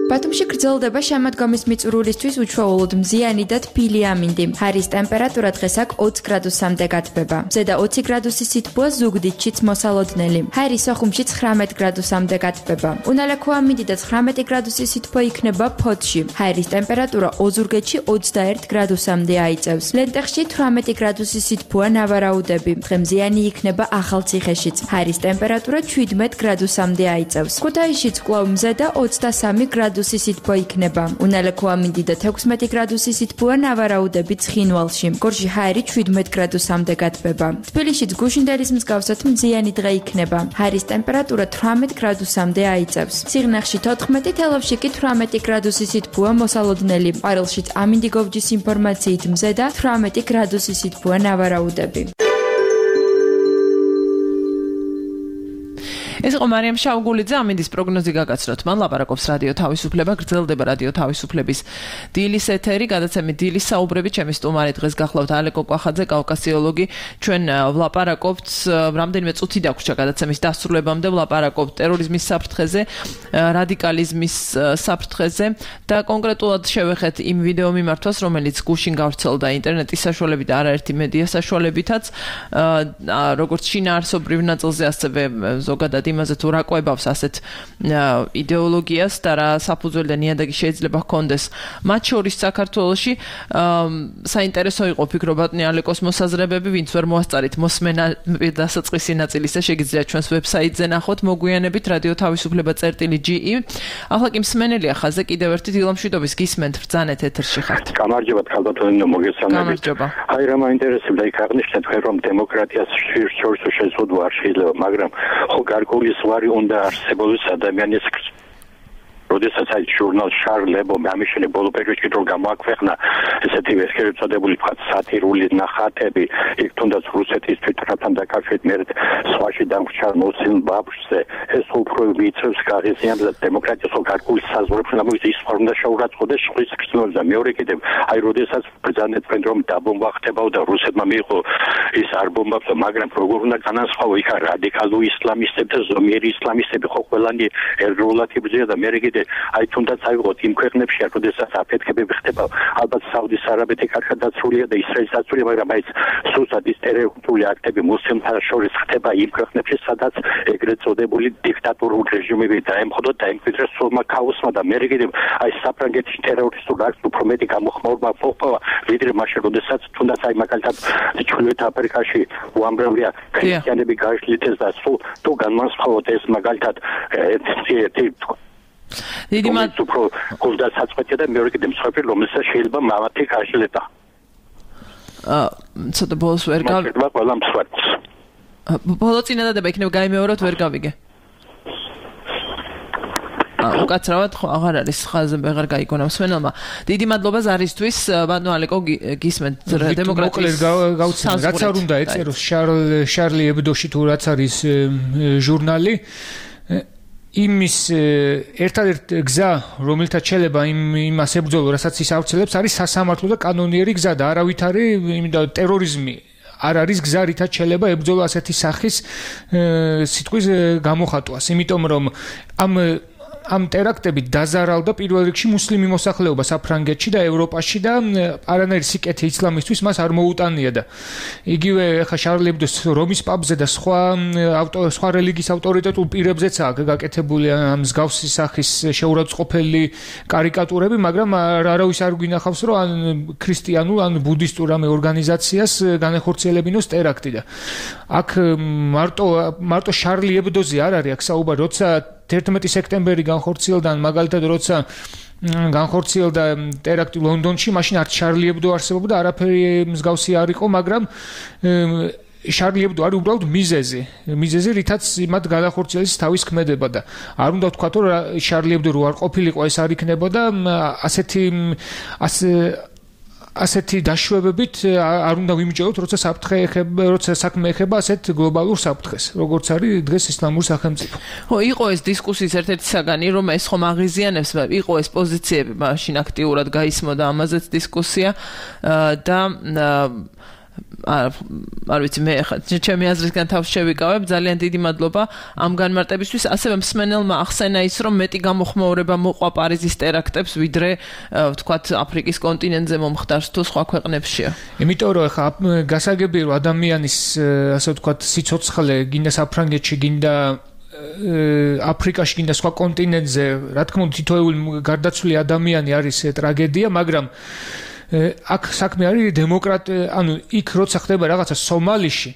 ბათუმში გრძელდება შემოდგომის მიწურულისთვის უჩვეულოდ მზიანი და თბილი ამინდი. ჰაერის ტემპერატურა დღეს აქ ოც გრადუსამდე გათბება. ზედა ოცი გრადუსი სითბოა, ზუგდიდშიც მოსალოდნელი. ჰაერის სოხუმში ცხრამეტ გრადუსამდე გათბება. უნალაქო ამინდი და ცხრამეტი გრადუსი სითბო იქნება ფოთში. ჰაერის ტემპერატურა ოზურგეთში ოცდაერთ გრადუსამდე აიწევს. ლენტეხში თვრამეტი გრადუსი სითბოა, ნავარაუდები. დღე მზიანი იქნება ახალციხეშიც. ჰაერის ტემპერატურა შვიდმეტ გრადუსამდე აიწევს. ქუთაისშიც კვლავ მზედა ოცდასამი გრადუსი სითბო სითბო იქნება. უნალექო ამინდი და თექვსმეტი გრადუსი სითბოა ნავარაუდები ცხინვალში. გორში ჰაერი შვიდმეტ გრადუსამდე გათბება. თბილისშიც გუშინდელის მსგავსად მზიანი დღე იქნება. ჰაერის ტემპერატურა თვრამეტ გრადუსამდე აიწევს. სიღნაღში თოთხმეტი, თელავში კი თვრამეტი გრადუსი სითბოა მოსალოდნელი. ყვარელშიც ამინდი გოვჯის ინფორმაციით მზე და თვრამეტი გრადუსი სითბოა ნავარაუდები. ეს იყო მარიამ შაუგულიძე, ამინდის პროგნოზი გაგაცნოთ. მან ლაპარაკობს რადიო თავისუფლება, გრძელდება რადიო თავისუფლების დილის ეთერი, გადაცემით დილის საუბრები. ჩემი სტუმარი დღეს გახლავთ ალეკო კვახაძე, კავკასიოლოგი. ჩვენ ვლაპარაკობთ, რამდენიმე წუთი დაგვრჩა გადაცემის დასრულებამდე, ვლაპარაკობთ ტერორიზმის საფრთხეზე, რადიკალიზმის საფრთხეზე და კონკრეტულად შევეხეთ იმ ვიდეო მიმართვას, რომელიც გუშინ გავრცელდა ინტერნეტის საშუალებით და არაერთი მედია საშუალებითაც, როგორც შინაარსობრივ ნაწილზე, ასევე ზოგადად იმაზე თუ რა ყვებავს ასეთ იდეოლოგიას და რა საფუძველი და ნიადაგი შეიძლება ჰქონდეს მათ შორის საქართველოში. საინტერესო იყო ფიქრობატნი ალეკოს მოსაზრებები, ვინც ვერ მოასწარით მოსმენა დასაწყისი ნაწილისა, შეგიძლიათ ჩვენს ვებსაიტზე ნახოთ, მოგვიანებით რადიო თავისუფლება წერტილი ჯი ი. ახლა კი მსმენელია ხაზზე, კიდევ ერთი დილამშვიდობის გისმენთ, ბრძანეთ ეთერში ხართ. გამარჯობა ქალბატონო, მოგესალმებით. აი რა მაინტერესებდა იქ აღნიშნეთ თქვენ რომ დემოკრატიას შორს შეზღუდვა არ შეიძლება, მაგრამ ხო გარკვეული ზღვარი უნდა არსებობდეს ადამიანის როდესაც აი ჟურნალ შარლებო ამიშენე ბოლო პერიოდში რო გამოაქვეყნა ესეთი ვერცხლისწოდებული თქვა სატირული ნახატები იქ თუნდაც რუსეთის თვითმფრინავთან დაკავშირებით მე სხვაში დამრჩა მოსილ ბაბშზე ეს უფრო ვიწევს გაღიზიანებს და დემოკრატიას გარკვეული საზღვრებში გამოიწვის ის ფორმა შეურაცხყოფდეს შხვის ქრცნობას და მეორე კიდევ აი როდესაც ბრძანეთ თქვენ რომ დაბომბა ხდებაო და რუსეთმა მიიღო ის არ ბომბავს მაგრამ როგორ უნდა განასხვავო იქ რადიკალური ისლამისტები და ზომიერი ისლამისტები ხო ყველანი ეროვნულად იბრძვიან და მე კიდევ აი თუნდაც აიღოთ იმ ქვეყნებში, როდესაც აფეთქებები ხდება, ალბათ საუდის არაბეთი კარგად დაცულია და ისრაელის დაცულია, მაგრამ აი სუსტად ის ტერორისტული აქტები მუსლიმთა შორის ხდება იმ ქვეყნებში, სადაც ეგრეთ წოდებული დიქტატურული რეჟიმები დაემხოდოთ და იმკვიდრეს სულმა ქაოსმა და მე კიდევ აი საფრანგეთის ტერორისტულ აქტს უფრო მეტი გამოხმაურება მოყვა, ვიდრე მაშინ, როდესაც თუნდაც აი მაგალითად ჩრდილოეთ აფრიკაში უამრავია ქრისტიანები გააშლიტეს და სულ თუ განმასხვავოთ ეს მაგალითად ერთი დიდი მათ უფრო გულდა საწყვეტია და მეორე კიდე მსხვერპლი რომელსაც შეიძლება მამათი გაშლეტა. აა ცოტა ბოლოს ვერ გავიგე. ყველა მსხვერპლს. ბოლო წინადადება იქნება გაიმეოროთ ვერ გავიგე. აა უკაცრავად ხო აღარ არის ხაზზე აღარ გაიგონა მსმენელმა. დიდი მადლობა ზარისთვის, ბატონო ალეკო გისმენთ დემოკრატიის გავცემ რაც არ უნდა ეწეროს შარლ შარლი ებდოში თუ რაც არის ჟურნალი იმის ერთადერთი გზა, რომელთაც შეიძლება იმ იმას ებრძოლო, რასაც ის ავრცელებს, არის სასამართლო და კანონიერი გზა და არავითარი იმიტომ ტერორიზმი არ არის გზა, რითაც შეიძლება ებრძოლო ასეთი სახის სიტყვის გამოხატვას, იმიტომ რომ ამ ამ ტერაქტებით დაზარალდა პირველ რიგში მუსლიმი მოსახლეობა საფრანგეთში და ევროპაში და არანაირი სიკეთე ისლამისთვის მას არ მოუტანია და იგივე ხა შარლი ებდოს რომის პაპზე და სხვა სხვა რელიგიის ავტორიტეტულ პირებზეც აქვს გაკეთებული ამ მსგავსი სახის შეურაცხყოფელი კარიკატურები, მაგრამ არავის არ გვინახავს რომ ან ქრისტიანულ ან ბუდისტურ ამ ორგანიზაციას განეხორციელებინოს ტერაქტი და აქ მარტო მარტო შარლი ებდოზე არ არის აქ საუბარი, როცა თერთმეტი სექტემბერი განხორციელდა მაგალითად როცა განხორციელდა ტერაქტი ლონდონში, მაშინ არც შარლი ებდო არსებობდა, არაფერი მსგავსი არ იყო, მაგრამ შარლი ებდო არის უბრალოდ მიზეზი, მიზეზი რითაც მათ გადახორციელეს თავის ქმედება და არ უნდა ვთქვათ რომ შარლი ებდო რო არ ყოფილიყო ეს არ იქნებოდა ასეთი ასე ასეთი დაშვებებით არ უნდა ვიმიჯეროთ, როცა საფრთხე ეხება, როცა საქმე ეხება ასეთ გლობალურ საფრთხეს, როგორც არის დღეს ისლამური სახელმწიფო. ხო, იყო ეს დისკუსიის ერთ-ერთი საგანი, რომ ეს ხომ აღიზიანებს, იყო ეს პოზიციები, მაშინ აქტიურად გაისმოდა ამაზეც დისკუსია და არ ვიცი მე ჩემი აზრისგან თავს შევიკავებ, ძალიან დიდი მადლობა ამ განმარტებისთვის. ასევე მსმენელმა ახსენა ის, რომ მეტი გამოხმაურება მოყვა პარიზის ტერაქტებს, ვიდრე ვთქვათ აფრიკის კონტინენტზე მომხდარს თუ სხვა ქვეყნებშია. იმიტომ რომ ხა გასაგებია რომ ადამიანის ასე ვთქვათ სიცოცხლე გინდა საფრანგეთში, გინდა აფრიკაში, გინდა სხვა კონტინენტზე, რა თქმა უნდა თითოეული გარდაცვლილი ადამიანი არის ტრაგედია, მაგრამ აქ საქმე არის დემოკრატ, ანუ იქ როცა ხდება რაღაცა სომალიში,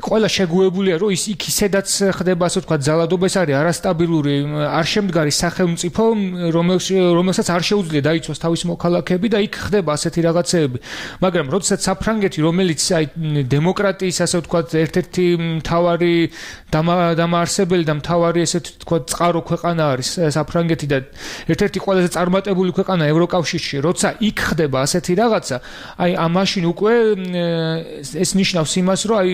ყველა შეგუებულია რომ ის იქ ისედაც ხდება ასე ვთქვათ ძალადობა ეს არის არასტაბილური არ შემდგარი სახელმწიფო რომელსაც არ შეუძლია დაიცვას თავის მოქალაქეები და იქ ხდება ასეთი რაღაცეები მაგრამ როდესაც საფრანგეთი რომელიც აი დემოკრატიის ასე ვთქვათ ერთ-ერთი მთავარი დამაარსებელი და მთავარი ესე ვთქვათ წყარო ქვეყანა არის საფრანგეთი და ერთ-ერთი ყველაზე წარმატებული ქვეყანა ევროკავშირში როცა იქ ხდება ასეთი რაღაცა აი ამაშინ უკვე ეს ნიშნავს იმას რომ აი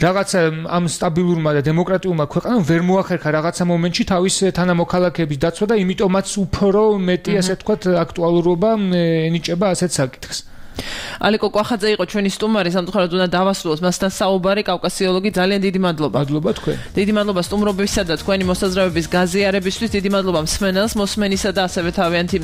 რაღაცა ამ სტაბილურმა და დემოკრატიულმა ქვეყანამ ვერ მოახერხა რაღაცა მომენტში თავის თანამოქალაქეების დაცვა და იმიტომაც უფრო მეტი ასე ვთქვათ აქტუალურობა ენიჭება ასეთ საკითხს ალიკო კვახაძე იყო ჩვენი სტუმარი სამწუხაროდ უნდა დავასრულოთ მასთან საუბარი კავკასიოლოგი ძალიან დიდი მადლობა მადლობა თქვენ დიდი მადლობა სტუმრობისა და თქვენი მოსაზრებების გაზიარებისთვის დიდი მადლობა მსმენელს მოსმენისა და ასევე თავიანთი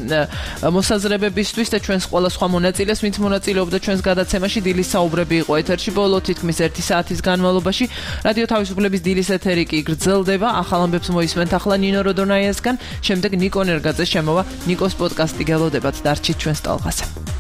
მოსაზრებებისთვის და ჩვენს ყველა სხვა მონაწილეს ვინც მონაწილეობდა ჩვენს გადაცემაში დილის საუბრები იყო ეთერში ბოლო თითქმის ერთი საათის განმავლობაში რადიო თავისუფლების დილის ეთერი კი გრძელდება ახალ ამბებს მოისმენთ ახლა ნინო როდონაიასგან შემდეგ ნიკო ნერგაძე შემოვა ნიკოს პოდკასტი გელოდებათ დარჩით ჩვენს ტალღაზე